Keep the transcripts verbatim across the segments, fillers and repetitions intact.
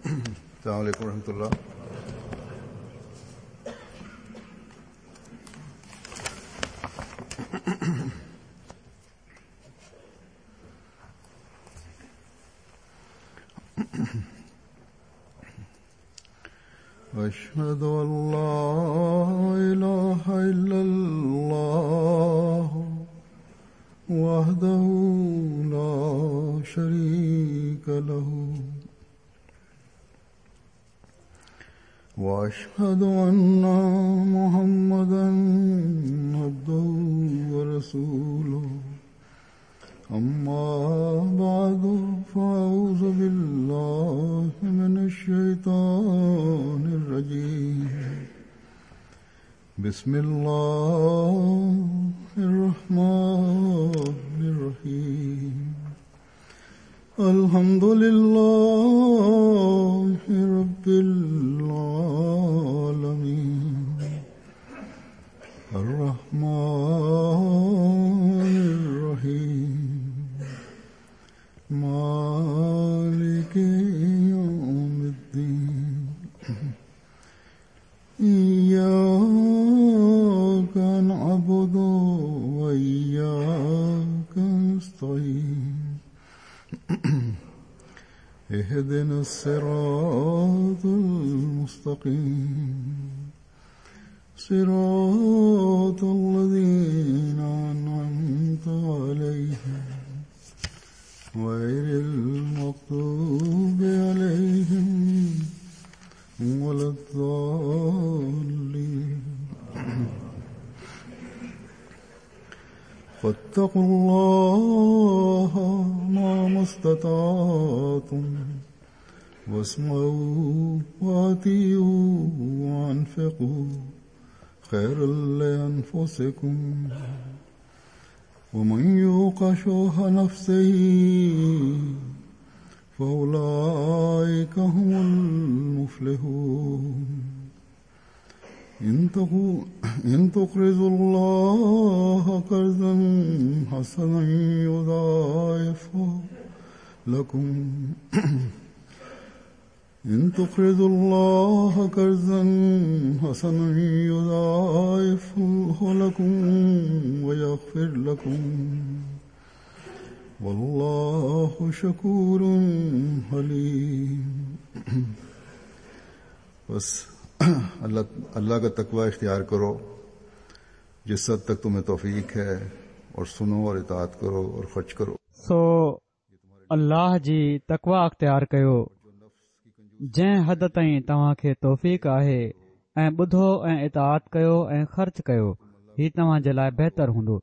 السلام علیکم ورحمۃ اللہ۔ أشهد أن لا إله إلا الله وحده لا شريك له وأشهد أن محمدا عبده ورسوله أما بعد فأعوذ بالله من الشيطان الرجيم بسم الله الرحمن الرحيم الحمد لله رب العالمين الرحمن الرحيم مالك يوم الدين إياك نعبد وإياك نستعين اهدنا الصراط المستقيم صراط الذين أنعمت عليهم غير المغضوب عليهم ولا الضالين فاتقوا الله ما استطعتم واسمعوا وأطيعوا وأنفقوا خير لأنفسكم ومن يوق شح نفسه فأولئك هم المفلحون إن تقرضوا الله قرضا حسنا يضاعفه لكم إن تقرضوا الله قرضا حسنا يضاعفه لكم ويغفر لكم والله شكور حليم۔ بس اللہ اللہ کا تقوی اختیار کرو جس حد تک تمہیں توفیق ہے، اور سنو اور اطاعت کرو اور خرچ کرو۔ سو الله جي تقويٰ اختيار ڪيو جنهن حد تائين توهان کي توفيق آهي، ۽ ٻڌو ۽ اطاعت ڪيو ۽ خرچ ڪيو، هي توهان جي لاءِ بهتر هوندو۔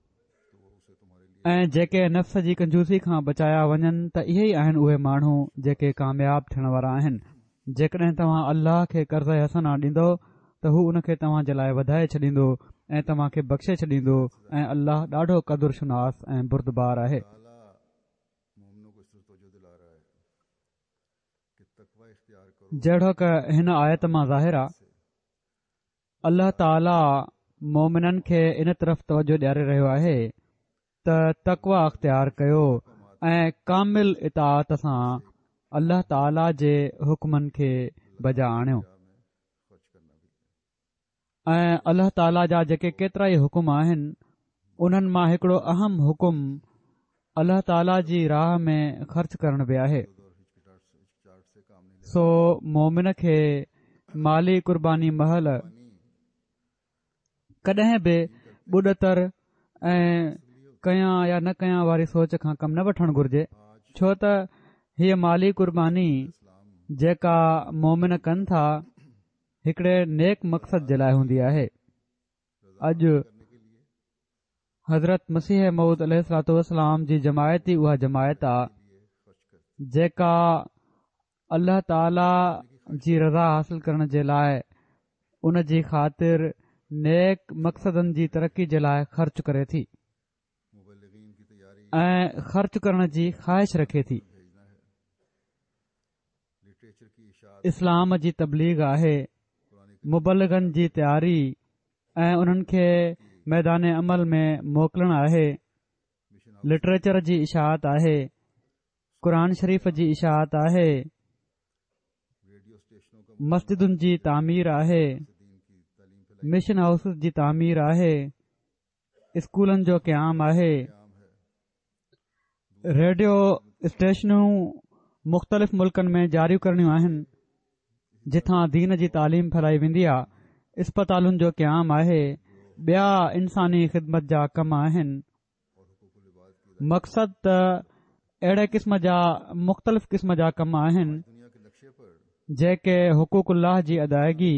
۽ جيڪي نفس جي ڪنجوسي کان بچايا وڃن ته اهي ئي آهن اهي ماڻهو جيڪي ڪامياب ٿيڻ وارا آهن۔ جيڪڏهن توهان الله کي قرض حسنه ڏيندو ته هو ان کي توهان جي لاءِ وڌائي ڇڏيندو ۽ توهان کي بخشي ڇڏيندو، ۽ الله ڏاڍو قدر شناس ۽ بردبار آهي۔ جهڙوڪ هن آيت مان ظاهر آهي، الله تعاليٰ مومنن کي ان طرف توجه ڏياري رهيو آهي ته تقويٰ اختيار ڪيو ۽ ڪامل اطاعت سان الله تعاليٰ جي حڪمن کي بجا آڻيو۔ ۽ الله تعاليٰ جا جيڪي ڪيترا ئي حڪم آهن انهن مان هڪڙو اهم حڪم الله تعاليٰ جي راهه ۾ خرچ ڪرڻ به آهي۔ سو مومن کي مالي قرباني مهل ڪڏهن به ٻڏتر ۽ ڪيان يا نه ڪيان واري سوچ کان ڪم نه وٺڻ گهرجي، ڇو ته هيءَ مالي قرباني جيڪا مومن ڪن ٿا هڪڙي نيڪ مقصد جي لاءِ هوندي آهي۔ اڄ حضرت مسيح موعود عليه الصلوة والسلام جي جماعت ئي اها جماعت آهي جيڪا الله تعاليٰ جي رضا حاصل ڪرڻ جي لاءِ ان جي خاطر نيڪ مقصدن جي ترقي جي لاءِ خرچ ڪري ٿي ۽ خرچ ڪرڻ جي خواهش رکي ٿي۔ اسلام جي تبليغ آهي، مبلغن جي تياري ۽ انهن کي ميدان عمل ۾ موڪلڻ آهي، لٽريچر جي اشاعت آهي، قرآن شريف جي اشاعت آهي، مسجدن جي تعمير آهي، مشن هائوسز جي تعمير آهي، اسڪولن جو قيام آهي، ريڊيو اسٽيشنون مختلف ملڪن ۾ جاري ڪرڻيون آهن جتان دين جي تعليم ڦهلائي ويندي آهي، اسپتالن جو قيام آهي، ٻيا انساني خدمت جا ڪم آهن. مقصد ته اهڙي قسم جا مختلف قسم جا ڪم آهن جيڪي حقوق الله جي ادائگي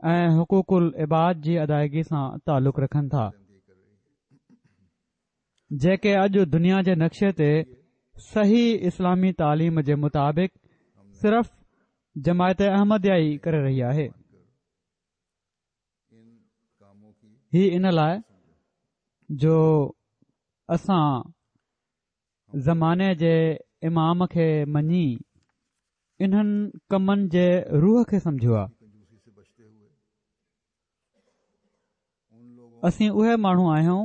۽ حقوق العباد جي ادائگي سان تعلق رکن ٿا، جيڪي اڄ دنيا جي نقشي تي صحيح اسلامي تعليم جي مطابق صرف جماعت احمديه ئي ڪري رهي آهي. هي ان لاء جو اسان زماني جي امام کي مڃي انهن ڪمن جي روح کي سمجهيو آهي. اسين اهي ماڻهو آهيون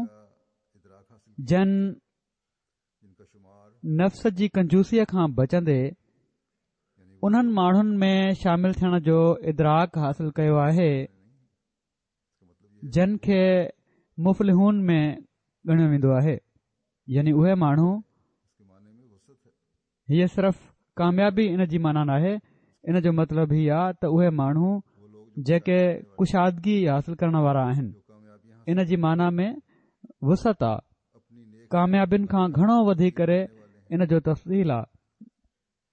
جن نفس جي ڪنجوسيء کان بچندي انهن ماڻهن ۾ شامل ٿيڻ جو ادراڪ حاصل ڪيو آهي جن کي مفلحون ۾ ڳڻيو ويندو آهي، يعني اهي ماڻهو. هيء صرف ڪاميابي ان جي معنيٰ ناهي، ان جو مطلب هي آ ته اهي ماڻهو جيڪي ڪشادگي حاصل ڪرڻ وارا آهن، ان جي معنيٰ ۾ وسعت آ، ڪاميابين کان گهڻو وڌي ڪري ان جو تفصيل آ.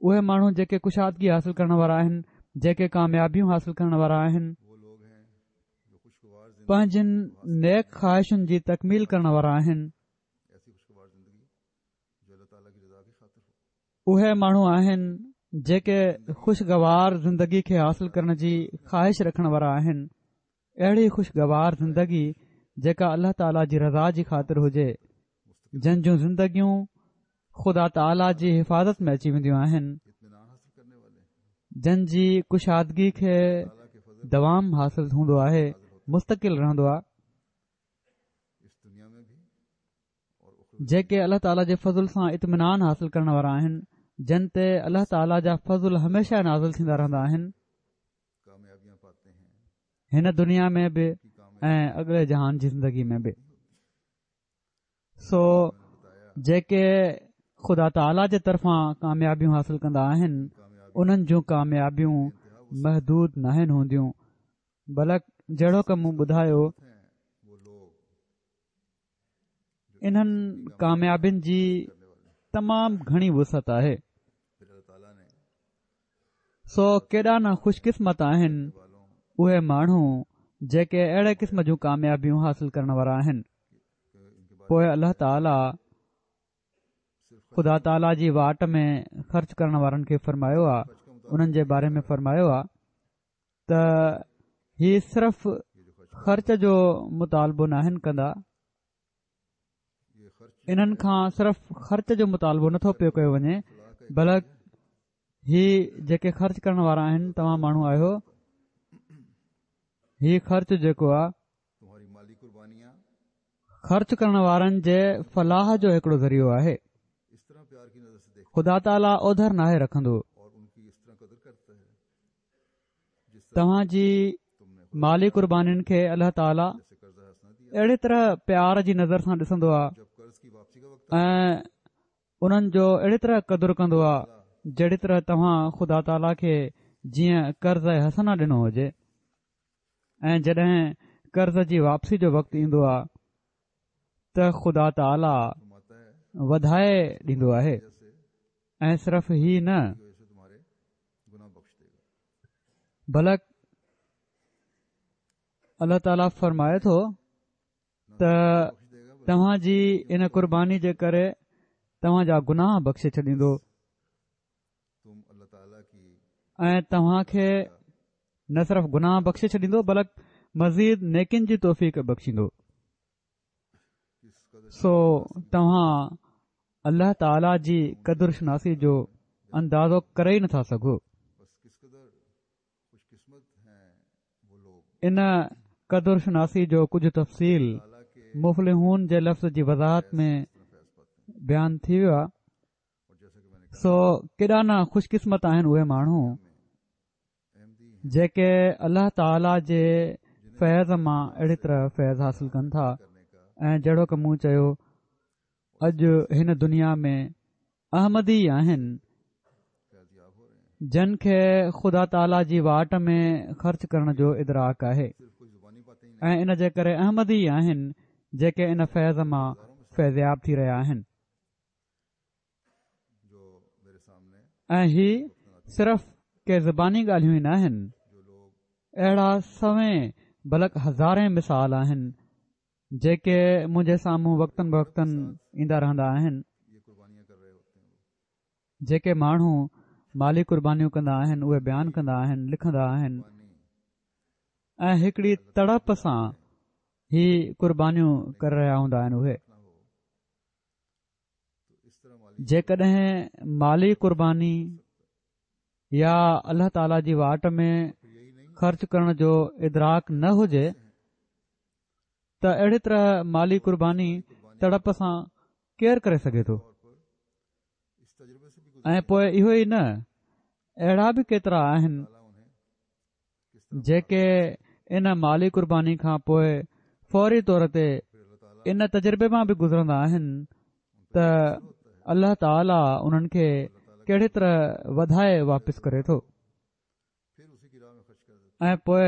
اهي ماڻهو جيڪي ڪشادگي حاصل ڪرڻ وارا آهن، جيڪي ڪاميابيون حاصل ڪرڻ وارا آهن، پنهنجين نيڪ خواهشن جي تڪميل ڪرڻ وارا آهن، اهي ماڻهو آهن جيڪي خوشگوار زندگي کي حاصل ڪرڻ جي خواهش رکڻ وارا آهن، اهڙي خوشگوار زندگي جيڪا الله تعاليٰ جي رضا جي خاطر هجي، جن جون زندگيون خدا تعاليٰ جي حفاظت ۾ اچي وينديون آهن، جن جي ڪشادگي کي دوام حاصل هوندو آهي، مستقل رهندو آهي، جيڪي الله تعاليٰ جي فضل سان اطمينان حاصل ڪرڻ وارا آهن، جن تي الله تعاليٰ جا فضل هميشه نازل ٿيندا رهندا آهن، هن دنيا ۾ به ۽ اڳلي جهان جي زندگي ۾ به. سو جيڪي خدا تعاليٰ جي طرفان ڪاميابيون حاصل ڪندا آهن، انهن جون ڪاميابيون محدود ناهن هونديون، بلڪ جهڙوڪ مون ٻڌايو، انهن ڪاميابين جي تمام گهڻي وسعت آهي. سو ڪيڏا نه خوش قسمت آهن اهي ماڻهو جيڪي اهڙي قسم جون ڪاميابيون حاصل ڪرڻ وارا آهن. پوء الله تعاليٰ خدا تعاليٰ جي واٽ ۾ خرچ ڪرڻ وارن کي فرمايو آ، انهن جي باري ۾ فرمايو آ ته هي صرف خرچ جو مطالبو ناهن ڪندا، انهن کان صرف خرچ جو مطالبو نٿو پيو ڪيو وڃي، بلڪ هي جيڪي خرچ ڪرڻ وارا آهن، توهان ماڻهو آهيو، هي خرچ جيڪو آ خرچ ڪرڻ وارن جي فلاح جو هڪڙو ذريعو آهي. خدا تعاليٰ اوڌر ناهي رکندو. توهان جي مالي قربانين کي الله تعاليٰ اهڙي طرح پيار جي نظر سان ڏسندو آهي ۽ انهن جو اهڙي طرح قدر ڪندو آهي جهڙي طرح توهان خدا تعاليٰ کي جيئن قرض حسنه ڏنو هجي، ۽ جڏهن قرض جي واپسي جو وقت ايندو آهي ته خدا تعاليٰ وڌائي ڏيندو آهي. ۽ صرف هي نه بلڪ الله تعاليٰ فرمائي ٿو ته توهان جي ان قرباني جي ڪري توهان جا گناهه بخشي ڇڏيندو ۽ توهان کي نه صرف گناهه بخشي ڇڏيندو بلڪ مزيد نيڪين جي توفيق بخشيندو. سو توهان الله تعاليٰ جي قدر شناسي جو اندازو ڪري ئي نٿا سگهو. ان قدر شناسي جو ڪجهه تفصيل مفلحون جي لفظ جي وضاحت ۾ بيان ٿي ويو آهي. سو ڪيڏا نه خوش قسمت آهن اهي ماڻهو جيڪي الله تعاليٰ جي فيض مان اهڙي طرح فيض حاصل ڪن ٿا. ۽ جهڙوڪ مون چيو، اڄ هن دنيا ۾ احمدي آهن جن کي خدا تعاليٰ جي واٽ ۾ خرچ ڪرڻ جو ادراڪ آهي، ۽ ان جي ڪري احمدي آهن جيڪي ان فيض مان فيضياب ٿي رهيا آهن. ۽ هي صرف ڪي زباني ڳالهيون ئي ناهن، اهڙا سوين بلڪ هزارين مثال آهن جيڪي منهنجي سامهون وقتن بوقتن ايندا رهندا آهن. جيڪي ماڻهو مالي قربانيون ڪندا آهن اهي بيان ڪندا آهن، لکندا آهن ۽ هڪڙي تڙپ سان هي قربانيون ڪري رهيا هوندا آهن. اهي جيڪڏهن مالي قرباني يا الله تعاليٰ جي واٽ ۾ خرچ ڪرڻ جو ادراڪ نه هجي ته اهڙي طرح مالي قرباني تڙپ سان ڪير ڪري سگهي ٿو؟ ۽ پوء اهو ئي نه، اهڙا به ڪيترا آهن جيڪي ان مالي قرباني کان پوء فوري طور تي ان تجربي مان به گذرندا آهن ته الله تعاليٰ انهن کي ڪهڙي طرح وڌائي واپس ڪري ٿو. ۽ پوء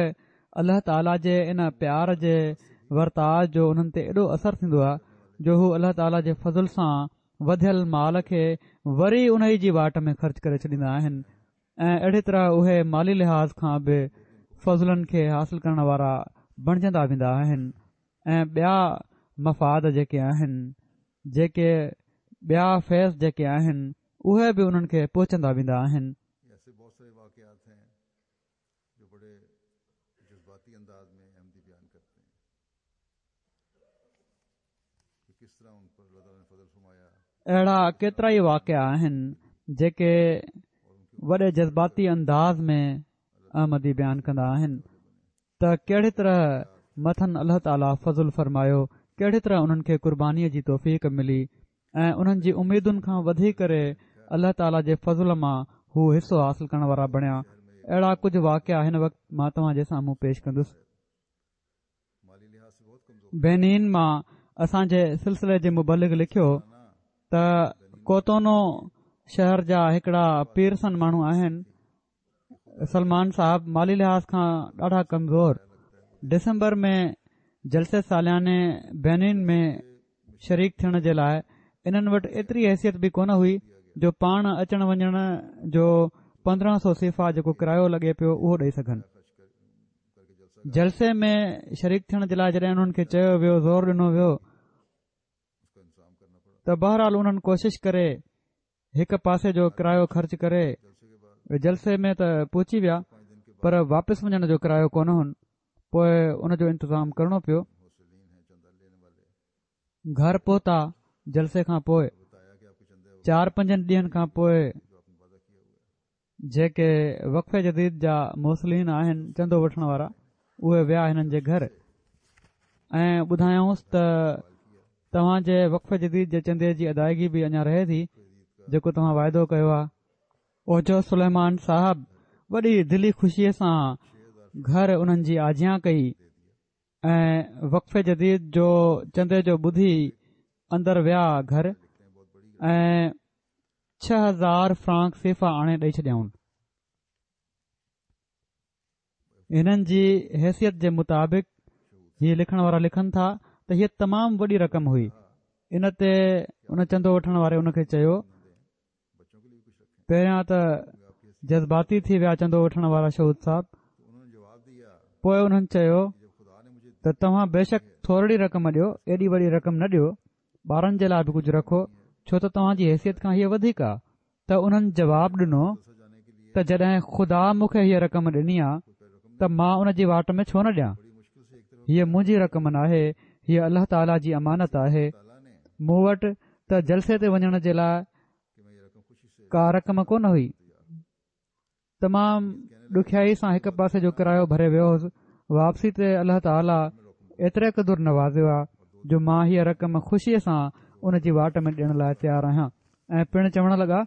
الله تعاليٰ جي ان پيار جي ورتاء جو انهن تي ايڏو اثر ٿيندو آهي جو هو الله تعاليٰ جي فضل سان وڌيل مال کي وري انهي جي واٽ ۾ خرچ ڪري ڇڏيندا آهن ۽ اهڙي طرح اهي مالي لحاظ کان به فضلن کي حاصل ڪرڻ وارا بڻجندا ويندا آهن ۽ ٻيا مفاد جيڪي آهن، جيڪي ٻيا فيض جيڪي آهن، اهي به انهن کي پهچندا ويندا آهن. اهڙا ڪيترائي واقعا آهن جيڪي وڏي جذباتي انداز ۾ احمدي بيان ڪندا آهن ته ڪهڙي طرح مٿن الله تعاليٰ فضل فرمايو، ڪهڙي طرح انهن کي قربانيء جي توفيق ملي ۽ انهن جي اميدن کان وڌي ڪري الله تعاليٰ جي فضل مان هو حصو حاصل ڪرڻ وارا بڻيا. اهڙا ڪجهه واقعا هن وقت مان توهان جي سامهون پيش ڪندس. بينين مان اسان جي سلسلي جي مبلغ لکيو ته ڪوتونو شهر جا هڪڙا پيرسن ماڻهو آهن، سلمان صاحب مالي لحاظ کان ڏاڍا ڪمزور، ڊسمبر ۾ جلسي سالياني بينين ۾ شريڪ ٿيڻ جي لاء انهن وٽ ايتري حيثيت به ڪونه هئي جو پاڻ اچڻ وڃڻ جو پندرهن سو سيفا جيڪو ڪرايو لڳي پيو اهو ڏئي سگهن. جلسي ۾ شريڪ ٿيڻ جي لاء جڏهن انهن کي چيو ويو، زور ڏنو ويو ته بهرحال انهن ڪوشش ڪري هڪ پاسي جو ڪرايو خرچ ڪري جلسي ۾ ته پهچي ويا پر واپس وڃڻ جو ڪرايو ڪونه هن، پوء ان جو انتظام ڪرڻو پيو. گهر پهتا جلسي کان پوء چار پنجن ڏينهن کان پوء جيڪي وقف جديد جا موصلين آهن چندو وٺڻ وارا اهي ويا هنن جي گهر ۽ ٻڌايائونس ته توهان جي وقف جديد جي چندي جي ادائگي به اڃا رهي ٿي جيڪو توهان واعدو ڪيو آهي. اوجو سليمان صاحب وڏي دلي خوشيء سان گهر انهن جي آجيان ڪئي ۽ وقف جديد جو چندي جو ٻڌي اندر ويا گهر ۽ ڇهه هزار فرانڪ سيفا آڻي ڏئي ڇڏيائون. هنن جي حيثيت جي مطابق هي لکڻ وارا لکن ٿا ته هيء تمام وڏي رقم هئي. ان تي ان چندو وٺڻ واري ان کي چيو، پهريان ته جذباتي ٿي ويا چندو وٺڻ وارا شهود صاحب، پوء انهن چيو ته توهان بيشڪ ٿورڙي رقم ڏيو، ايڏي وڏي رقم نه ڏيو، ٻارن جي لاء به ڪجهه رکو، ڇو ته توهان جي حيثيت کان هيء وڌيڪ آ. ته انهن جواب ڏنو ته جڏهن خدا مون کي هيء رقم ڏني آ ته مان ان جي واٽ ۾ ڇو نه ڏيان؟ هيء منهنجي رقم ناهي، هيء الله تعاليٰ جي امانت آهي. مون وٽ ته جلسي تي وڃڻ جي لاء ڪا رقم ڪونه هئي. تمام ڏکيائي سان هڪ پاسي جو ڪرايو ڀري ويو هوس. واپسي تي الله تعاليٰ ايتري قدر نوازيو آ جو مان هيء رقم خوشيء سان ان جي واٽ ۾ ڏيڻ لاء تيار آهيان. ۽ پڻ چوڻ لڳا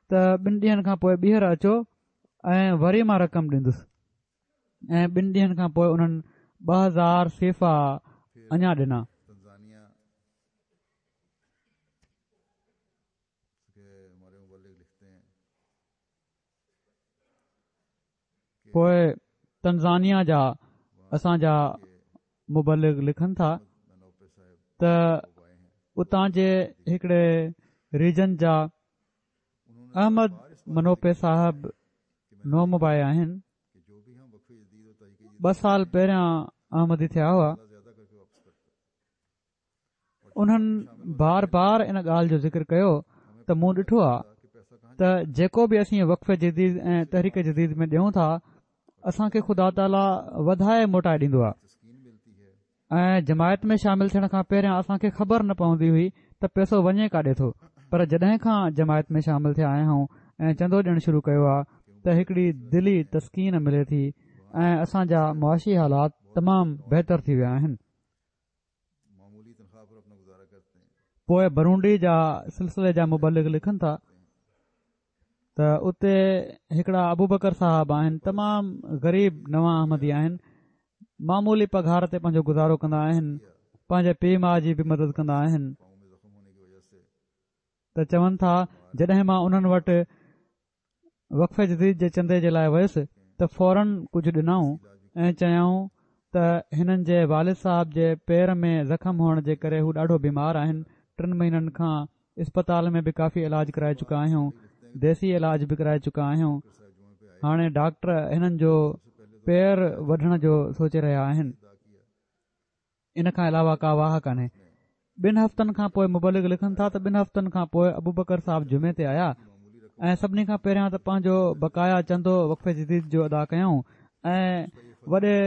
ته ٻن ڏينهن کان پوء ٻيهر اچو ۽ وري مان رقم ڏيندس. ۽ ٻن ڏينهن کان پوءِ انهن ٻه هزار سيفا اڃا ڏنا. پوءِ تنزانيا جا اسان جا مبلغ لکن ٿا ته اتان جي هڪڙي ريجن جا احمد منوپي صاحب نومبائع آهن. ٻه سال پهريان احمدي ٿيا هئا. انهن بار بار ان ڳالهه جو ذڪر ڪيو ته مون ڏٺو آهي ته جيڪو به اسين وقف جديد ۽ تحريڪ جديد ۾ ڏيون ٿا اسان کي خدا تعاليٰ وڌائي موٽائي ڏيندو آهي. ۽ جماعت ۾ شامل ٿيڻ کان پهريان اسان کي خبر نه پوندي هئي ته پئسو وڃي ڪاڏي ٿو، پر جڏهن کان جماعت ۾ شامل ٿيا آهيون ۽ چندو ڏيڻ شروع ڪيو آهي ته هڪڙي دلي تسڪين ملي ٿي ۽ اسان جا معاشي حالات تمام بهتر ٿي ويا آهن. پوءِ برونڊي جا سلسلي جا مبلغ لکن ٿا ته اتي هڪڙا ابوبڪر صاحب آهن، تمام غريب نوان احمدي آهن، معمولي پگهار تي پنهنجو گذارو ڪندا آهن، پنهنجي پيءُ ماءُ جي به مدد ڪندا آهن. ته چون ٿا جڏهن مان انهن وٽ وقف جديد جي چندي جي لاءِ ويس ته فورن ڪجهه ڏنائون ۽ چيائون ته هنن جي والد صاحب جي پير ۾ زخم هئڻ جي ڪري هو ڏاڍو بيمار آهن، ٽن مهينن کان اسپتال ۾ به ڪافي علاج ڪرائي چڪا آهيون، ديسي علاج به ڪرائي چڪا آهيون، هاڻي ڊاڪٽر هنن جو پير وڍڻ جو سوچي رهيا آهن، ان کان علاوه ڪا واهه ڪانهي. ٻن هفتن کان پوءِ مبلغ لکن ٿا ته ٻن هفتن کان پوءِ ابوبڪر صاحب جمعي تي آيا ۽ سڀني کان پهريان ته پنهنجو بقايا چندو وقف جديد جو ادا ڪيائون ۽ وڏي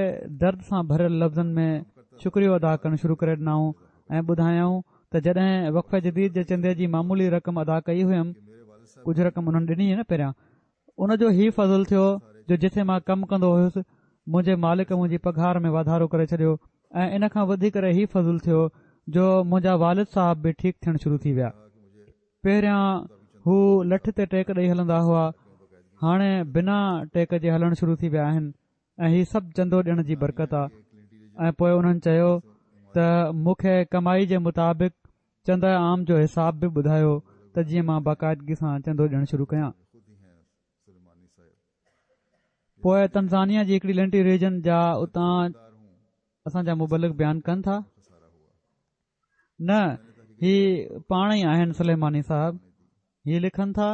درد سان ڀريل لفظن ۾ شڪريو ادا ڪرڻ شروع ڪري ڏنائون ۽ ٻڌايائون ته جڏهن وقف جديد جي چندي جي معمولي رقم ادا ڪئي هيم، ڪجهه رقم انهن ڏني نه پهريان، ان جو هي فضل ٿيو جو جتي مان ڪم ڪندو هيس منهنجي مالڪ منهنجي پگهار ۾ واڌارو ڪري ڇڏيو ۽ ان کان وڌي ڪري هي فضل ٿيو جو منهنجا والد صاحب به ٺيڪ ٿيڻ شروع ٿي ويا. پهريان هو لٺ تي ٽيڪ ڏيئي هلندا هئا، هاڻي بنا ٽيڪ جي هلڻ شروع ٿي ويا آهن ۽ هي سڀ چندو ڏيڻ جي برڪت آهي. ۽ پوءِ انهن چيو ته مون کي ڪمائي جي مطابق چنده عام جو حساب به ٻڌايو ته جيئن مان باقاعدگي سان چندو ڏيڻ شروع ڪيان. پوءِ تنزانيا جي هڪڙي لينٽي ريجن جا اتان اسان جا مبلغ بيان ڪن ٿا، نه هي پاڻ ئي آهن سليماني صاحب، هي لکن ٿا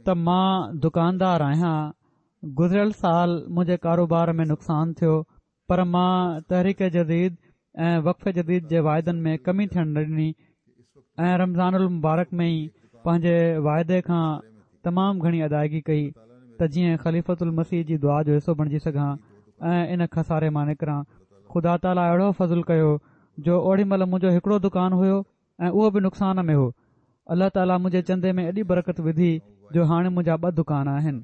ته مان دڪاندار آهيان، گذريل سال منهنجي ڪاروبار ۾ نقصان ٿيو، پر مان تحريڪ جديد ۽ وقف جديد جي واعدن ۾ ڪمي ٿيڻ نه ڏني ۽ رمضان المبارڪ ۾ ئي پنهنجي واعدي کان تمام گهڻي ادائگي ڪئي ته جيئن خليفة المسيح جي دعا جو حصو بڻجي سگهان ۽ ان خساري مان نڪران. خدا تعاليٰ اهڙو فضل ڪيو جو اوڏي مهل منهنجو هڪڙو دڪان هيو ۽ اهو به نقصان ۾ هو. الله تعاليٰ منهنجي چندي ۾ ايڏي برڪت وڌي جو هاڻي منهنجا ٻه دڪان آهن.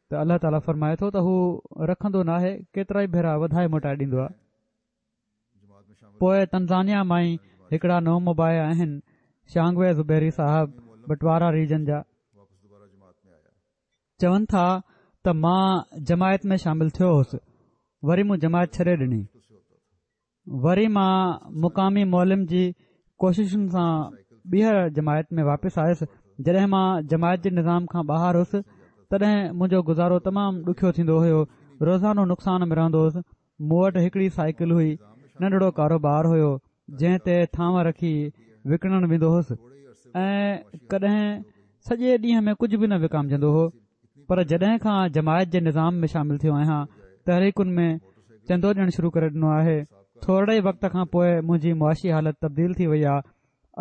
ته الله تعاليٰ فرمائي ٿو ته هو رکندو ناهي، ڪيترا ئي ڀيرا وڌائي موٽائي ڏيندو آهي. پوءِ تنزانيا مان ئي هڪڙا نومبائع آهن، شانگوي زبيري صاحب بٽوارا ريجن جا، چون ٿا ته مان جماعت ۾ شامل ٿيو هوس، وري مون جماعت ڇڏي ڏني، وري مان مقامي معلم جي ڪوششن سان ٻيهر جماعت ۾ واپس آيس. جڏهن مان جماعت جي نظام کان ٻاهر هوس تڏهن منهنجو گذارو تمام ڏکيو ٿيندو هيو، روزانو نقصان ۾ رهندو هوس. مون وٽ هڪڙي سائيڪل هئي، ننڍڙو ڪاروبار هيو جنهن تي ٿانو رکي وڪڻڻ ويندو هوس ۽ ڪڏهن سڄي ڏينهن ۾ ڪجهه به نه وڪامجندو هو. پر جڏهن کان جماعت جي نظام ۾ شامل ٿيو آهيان، تحريڪن ۾ چندو ڏيڻ شروع ڪري ڏنو آهي. ٿورڙي وقت کان پوءِ منهنجي معاشي حالت تبديل ٿي وئي آهي.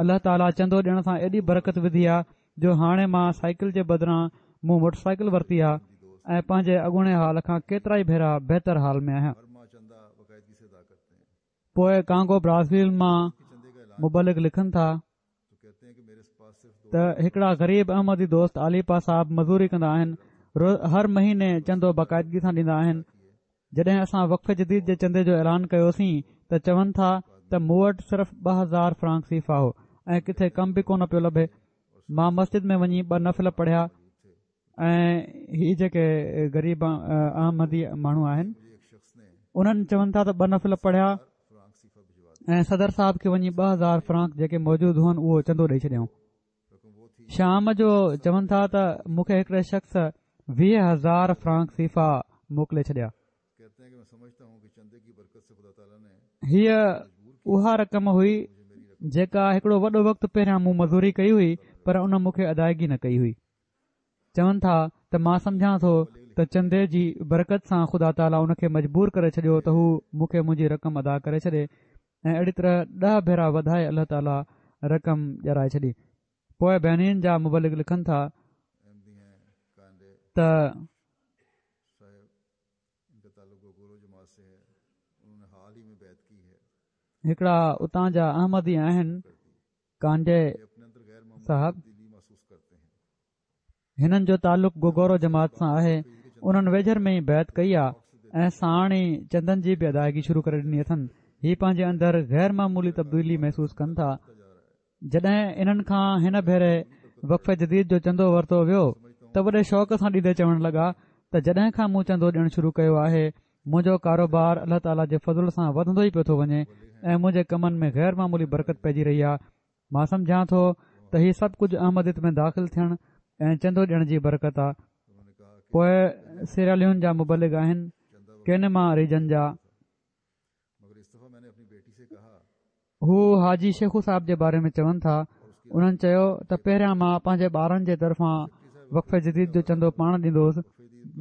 الله تعاليٰ چندو ڏيڻ سان ايڏي برڪت وڌي آهي جو هاڻي مان سائيڪل جي بدران مون موٽر سائيڪل ورتي آهي ۽ پنهنجي اڳوڻي حال کان ڪيترا ئي ڀيرا بهتر حال ۾ آهيان. پوءِ ڪانگو برازيل مان مبلغ لکن ٿا ته هڪڙا غريب احمدي دوست عاليپا صاحب مزوري ڪندا آهن، هر مهيني چندو باقاعدگي سان ڏيندا آهن. جڏهن اسان وقف جديد جي چندي جو اعلان ڪيوسين ته چون ٿا ته مون وٽ صرف ٻه هزار فرانڪ سيفا هو ۽ ڪٿي ڪم به ڪونه پيو لڀي. مان مسجد ۾ وڃي ٻه نفل پڙهيا، ۽ هي جيڪي غريب احمدي ماڻهو آهن انهن چون ٿا ته ٻه نفل پڙهيا ۽ صدر صاحب کي وڃي ٻه هزار فرانڪ جيڪي موجود هئن اهو چندو ڏئي ڇڏيائون. شام جو چون ٿا ته مون کي هڪڙي شخص ويهه هزار فرانڪ سيفا موڪلي ڇڏيا. هيء اها رقم هئي جيڪا هڪڙو وڏو وقت پهريان مون مزوري ڪئي هئي پر ان مون کي ادائگي نه ڪئي هئي. چون ٿا ته مان سمجهان ٿو ته چندي جي برڪت سان خدا تعاليٰ ان کي مجبور ڪري ڇڏيو ته هو مون کي منهنجي رقم ادا ڪري ڇڏي ۽ اهڙي طرح ڏهه ڀيرا وڌائي الله تعاليٰ رقم ڏيارائي ڇڏي. پوء بينين جا مبلغ لکن ٿا ته هڪڙا اتان جا احمدي آهن ڪانڊي صاحب، هنن جو تعلق گوگورو جماعت سان آهي، انهن ويجهر ۾ ئي بيعت ڪئي آ ۽ ساڻ ئي چندن جي به ادائگي شروع ڪري ڏني اٿن. هي پنهنجي اندر غير معمولي تبديلي محسوس ڪن ٿا. جڏهن انهن کان هن ڀيري وقف جديد جو چندو ورتو ويو ته وڏي شوق سان ڏيندي چوڻ لڳا ته جڏهن کان مون چندو ڏيڻ شروع ڪيو آهي منهنجو ڪاروبار الله تعاليٰ جي فضل سان وڌندو ئي پيو ٿو وڃي ۽ منهنجي ڪمن ۾ غير معمولي برڪت پئجي رهي آهي. مان سمجهان ٿو ته هي سڀ ڪجهه احمديت ۾ داخل ٿيڻ ۽ چندو ڏيڻ جي برڪت آهي. پوء سيراليون جا مبلغ آهن ڪينما ريجن جا. هو حاجي شيخو صاحب جي باري ۾ چون ٿا، انهن چيو ته پهريان مان پنهنجي ٻارن جي طرفان وقف جديد جو چندو پاڻ ڏيندو هوس،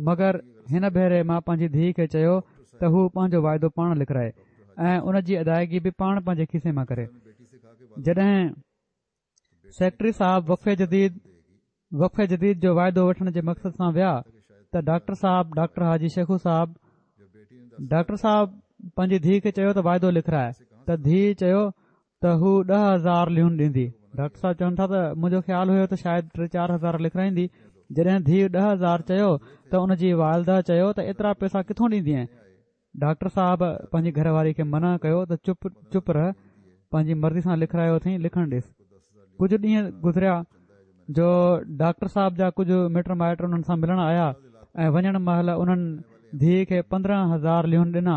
مگر هن ڀيري مان پنهنجي ڌيء کي چيو ته هو پنهنجو واعدو پاڻ لکرائي ۽ ان جي ادائگي به پاڻ پنهنجي کيسي مان ڪري. جڏهن سيڪريٽري صاحب وقف جديد وقف جديد جو واعدو وٺڻ جي مقصد سان ويا ته ڊاڪٽر صاحب ڊاڪٽر حاجي شيخو صاحب ڊاڪٽر صاحب پنهنجي ڌيء کي چيو ته واعدو لکرائي ته ڌيء چيو ته هو ڏهه هزار ليون ڏيندي. ڊاڪٽر صاحب چون ٿا ته منهنجو خيال هيو ته شايد ٽي چار هزار لکرائيندي. جڏهن ڌيء ڏهه هزار چيو ته ان جي والده چيو ته ايترا پئسا ڪٿون ڏيندينء؟ ڊاڪٽر صاحب پنهنجي گهر واري کي منع ڪيو ته چپ چپ رهه، پنهنجي مرضي سان لکرايو اٿئين، لکڻ ڏيس. ڪجهه ڏينهن گذريا جو ڊاڪٽر صاحب جا ڪجهه مٽ مائٽ انهن سان ملڻ آيا ۽ وڃڻ مهل انهن ڌيء کي پندرهن هزار ليون ڏنا.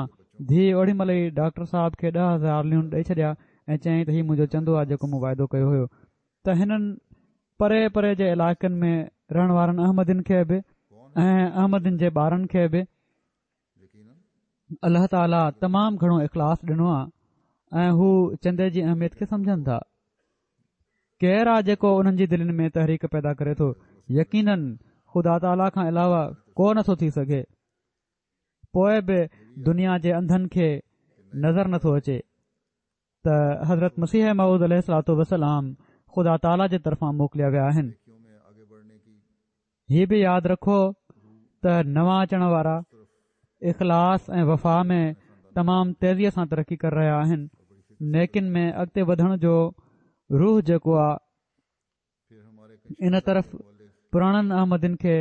ڌيء اوڏي مهل ئي ڊاڪٽر صاحب کي ڏهه هزار ليون ڏئي ڇڏيا ۽ چيائين ته هي منهنجو چندو آهي جيڪو مون واعدو ڪيو هيو. ته هنن پري پري جي علائقن ۾ رهڻ وارن احمدين کي به ۽ احمدين جي ٻارن کي به الله تعاليٰ تمام گهڻو اخلاص ڏنو آهي ۽ هو چندي جي اهميت کي سمجهن ٿا. ڪير آ جيڪو انهن جي دلين ۾ تحريڪ پيدا ڪري ٿو؟ يقيناً خدا تعاليٰ کان علاوه ڪو نٿو ٿي سگهي. پوء به دنيا جي انڌن کي نظر نٿو اچي ته حضرت مسيح موعود عليه الصلوة والسلام خدا تعاليٰ جي طرفان موڪليا ويا آهن. هي به ياد رکو ته نوان اچڻ وارا اخلاص ۽ وفا ۾ تمام تيزيء سان ترقي ڪري رهيا آهن. نيڪين ۾ اڳتي وڌڻ جو روح جيڪو آ ان طرف پراڻن احمدين کي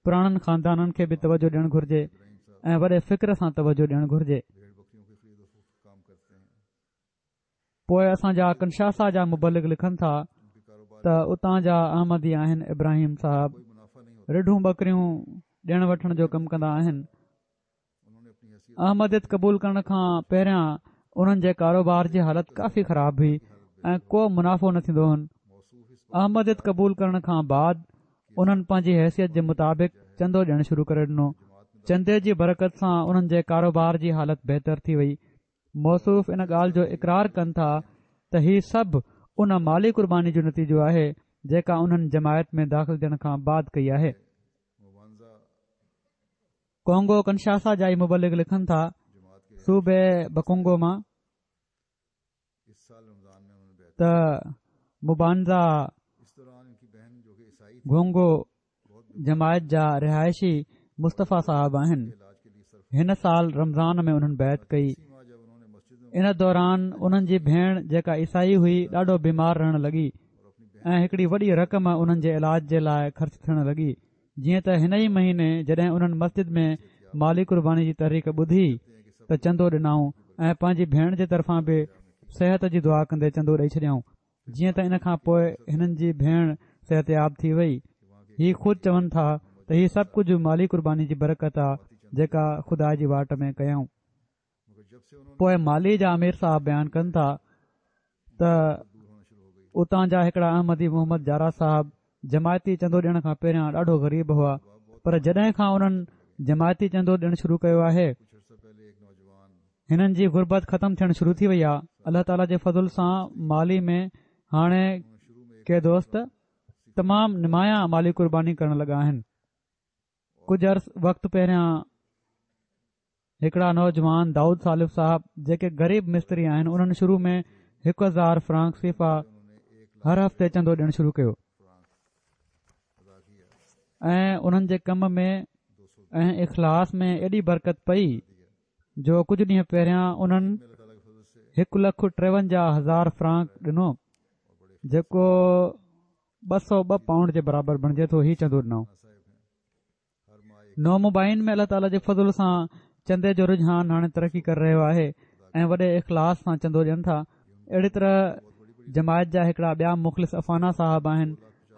پراڻن خاندانن کي به توجه ڏيڻ گهرجي ۽ وڏي فڪر سان توجه ڏيڻ گهرجي. پوء اسان جا ڪنشاسا جا مبلغ لکن ٿا ته اتان جا احمدي آهن ابراهيم صاحب رڍون ٻڪريون ڏيڻ وٺڻ جو ڪم ڪندا آهن. احمديت قبول ڪرڻ کان پهريان انهن جي ڪاروبار جي حالت ڪافي خراب هئي ۽ ڪو منافعو نه ٿيندو هن. احمديت قبول ڪرڻ کان بعد انهن پنهنجي حيثيت جي مطابق چندو ڏيڻ شروع ڪري ڏنو. چندي جي برڪت سان انهن جي ڪاروبار جي حالت بهتر ٿي وئي. موصوف ان ڳالهه جو اقرار ڪن ٿا ته هي سڀ ان مالي قرباني جو نتيجو آهي جيڪا انهن جماعت ۾ داخل ٿيڻ کان بعد ڪئي آهي. ڪونگو ڪنشاسا جا ئي مبلغ لکن ٿا صوبي بڪونگو مان ته مبانزا گونگو جماعت جا رهائشي مصطفيٰ صاحب آهن. هن سال رمضان ۾ انهن بيعت ڪئي. ان دوران انهن جي ڀيڻ جيڪا عيسائي هئي ڏاڍو بيمار رهڻ لڳي ۽ هڪڙي وڏي رقم انهن جي علاج جي لاء خرچ ٿيڻ لڳي. جيئن ته هن ئي مهيني جڏهن انهن مسجد ۾ مالي قرباني جي تحريڪ ٻڌي ته چندو ڏنائون ۽ پنهنجي ڀيڻ جي طرفان به صحت جي دعا ڪندي چندو ڏئي ڇڏيائون. جيئن ته ان کان پوء هنن جي ڀيڻ صحتياب ٿي وئي. هي خود چون ٿا ته هي سڀ ڪجهه مالي قرباني جي برڪت آ جيڪا خدا جي واٽ ۾ ڪيائون. پوء مالي جا امير صاحب بيان ڪن ٿا ته اتان جا هڪڙا احمدي محمد جارا صاحب جماعتي چندو ڏيڻ کان پهريان ڏاڍو غريب هئا، پر جڏهن کان انهن جماعتي چندو ڏيڻ شروع ڪيو آهي هنن جي غربت ختم ٿيڻ شروع ٿي وئي آهي. الله تعاليٰ جي فضل سان مالي ۾ هاڻي ڪي دوست تمام نمايان مالي قرباني ڪرڻ لڳا آهن. ڪجهه عرص وقت پهريان هڪڙا نوجوان دائود صالف صاحب جيڪي غريب مستري آهن انهن شروع ۾ هڪ هزار فرانڪ سيفا هر هفتي چندو ڏيڻ شروع ڪيو ۽ انهن جي ڪم ۾ ۽ اخلاص ۾ ايڏي برڪت پئي جو ڪجهه ڏينهن پهريان انهن هڪ لک ٽيونجاهه هزار فرانڪ ڏنو جيڪو ٻه سؤ ٻه پائونڊ جي برابر بڻجي ٿو. هي چندو ڏنو. نومبائعين ۾ الله تعاليٰ جي فضل سان چندي جو رجحان هاڻي ترقي ڪري رهيو آهي ۽ وڏي اخلاص سان چندو ڏين ٿا. اهڙي طرح جماعت جا هڪڙا ٻيا مخلص افانا صاحب آهن،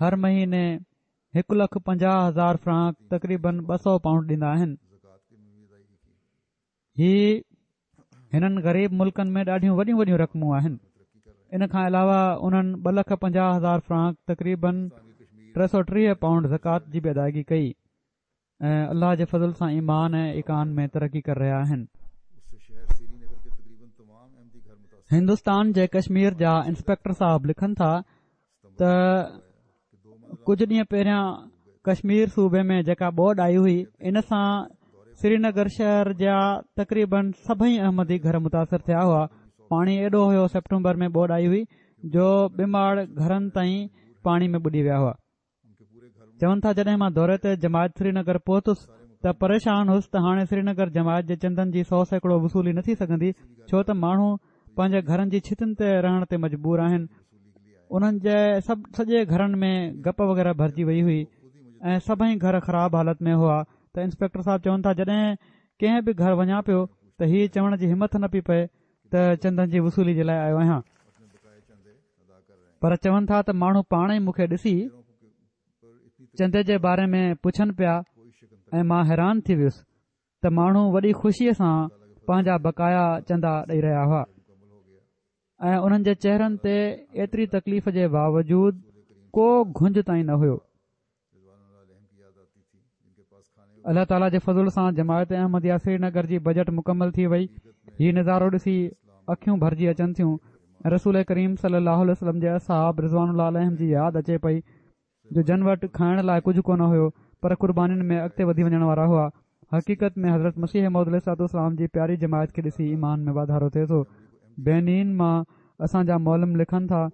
هر مهيني هڪ لک پنجاهه هزار فرانڪ تقريبن ٻه سؤ پائونڊ ڏيندا آهن. هي هنن غريب ملڪن ۾ ڏاڍيون وڏيون وڏيون رقمون آهن. ان کان علاوه انهن ٻه لک پنجاهه هزار فرانڪ تقريبن ٽي سؤ ٽيهه پائونڊ زڪوات جي به ادائگي ڪئي ۽ الله جي فضل سان ايمان ۽ ايقان ۾ ترقي ڪري رهيا آهن. هندستان جي ڪشمير جا انسپيڪٽر صاحب لکن ٿا ته ڪجهه ڏينهن پهريان ڪشمير صوبي ۾ جيڪا ٻوڏ آئي هئي ان سان سرينگر شهر جا تقريبن سڀئي احمدي گهر متاثر ٿيا هئا. پاڻي ايڏو هيو سيپٽمبر ۾ ٻوڏ آئي هئي جو ٻه ماڙ گهرن تائين پاڻي ۾ ٻڏي ويا هئا. چون ٿا جڏهن مان دوري تي جماعت سرينگر پهتس ته پريشان هوس ته هاڻي سرينگر جماعت جي چندن جي سؤ سيڪڙو وصولي نه ٿي سگهندي ڇو ته ماڻهو پنهنجي گهرن جي ڇتن تي رهڻ تي مجبور آهن. انهن جي سڀ سڄي گهرن ۾ گپ وغيره ڀرجي وئي هئي ۽ سڀئي گهر خراب حالت ۾ هئا. ته انسپيڪٽر صاحب چون ٿا جڏهن ڪنهن به گهر وڃان پيو ته هي چوڻ جي همت نه پئي پئي ته چندن جي وصولي جي لاء آيو آهيان، پر چون ٿا ته ماڻهو پاڻ ئي مون کي ڏسي چندي جي باري ۾ پڇن پيا ۽ مان حيران ٿي ويس ته ماڻهو وڏي خوشيء سان پنهنجا بقايا چندا ڏئي رهيا هئا ۽ انهن جي چهرن تي ايتري تڪليف جي باوجود ڪو گهنج تائين نه هيو. الله تعاليٰ جي فضل سان جماعت احمديه سرينگر جي بجيٽ مڪمل ٿي وئي. هي نظارو ڏسي اکيون ڀرجي اچن ٿيون. رسول ڪريم صلي الله عليه وسلم جي اصحاب رضوان الله عليهم جي ياد اچي پئي جو جن وٽ کائڻ لاء ڪجهه ڪونه هيو پر قربانين ۾ اڳتي وڌي وڃڻ وارا هئا. حقيقت ۾ حضرت مسيح موعود عليه الصلوة والسلام جي پياري جماعت کي ڏسي ايمان ۾ واڌارو ٿئي ٿو. بينين مان اسان جا معلم لکن ٿا،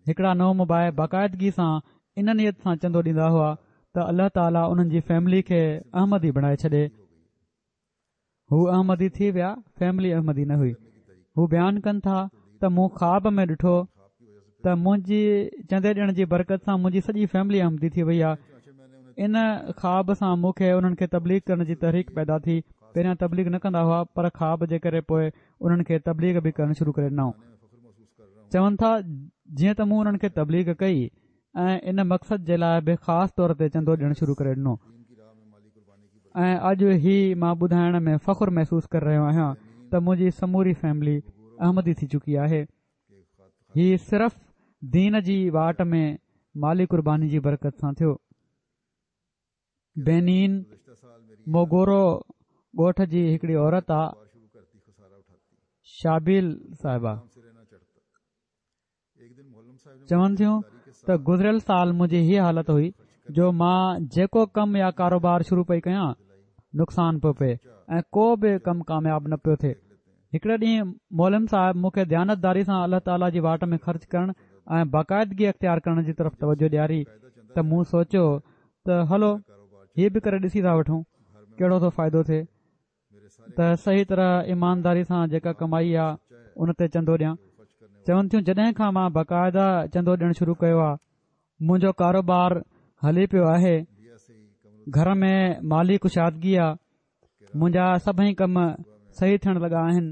هڪڙا نومبائع باقاعدگي سان ان نيت سان چندو ڏيندا هئا ته الله تعاليٰ انهن جي فيملي کي احمدي بڻائي ڇڏي. هو احمدي ٿي ويا، فيملي احمدي نه هئي. هو بيان ڪن ٿا ته مون خواب ۾ ڏٺو ته منهنجي چندي ڏيڻ جي برڪت سان منهنجي سڄي فيملي احمدي ٿي وئي آهي. ان خواب سان مون کي انهن کي تبليغ ڪرڻ جي تحريڪ پيدا ٿي. پهريان تبليغ نه ڪندا هئا پر خواب جي ڪري پوء انهن کي تبليغ به ڪرڻ شروع ڪري ڏنائون. چون ٿا جيئن ته مون انهن کي تبليغ ڪئي ۽ ان مقصد جي لاء به خاص طور تي چندو ڏيڻ شروع ڪري ڏنو ۽ اڄ هي مان ٻڌائڻ ۾ فخر محسوس ڪري رهيو آهيان ته منهنجي سموري فيملي احمدي ٿي چڪي آهي. هي صرف دين جي واٽ ۾ مالي قرباني جي برڪت سان ٿيو. بينين موگورو ڳوٺ جي هڪڙي عورت آ شابيل صاحبه چون ٿيون ته گذريل سال منهنجي هيء حالت هئي جو مان جيڪو ڪم يا ڪاروبار شروع پئي ڪيان نقصان پيو پئي ۽ ڪو به ڪم ڪامياب نه پيو ٿئي. هڪڙي ڏينهن معلم صاحب مون کي ديانتداري سان الله تعاليٰ جي واٽ ۾ خرچ ڪرڻ ۽ باقاعدگي اختيار ڪرڻ جي طرف توجه ڏياري ته مون سوچيو ته هلو هي به ڪري ڏسي ٿا وٺون ڪهڙو ٿو فائدو ٿئي ته صحيح طرح ايمانداري سان جيڪا ڪمائي آ ان تي چندو ڏيان. چون ٿيون جڏهن کان مان باقاعده چندو ڏيڻ شروع ڪيو آ منهنجو ڪاروبار هلي پيو آهي، گهر ۾ مالي ڪشادگي آ، منهنجا سڀئي ڪم صحيح ٿيڻ لڳا آهن.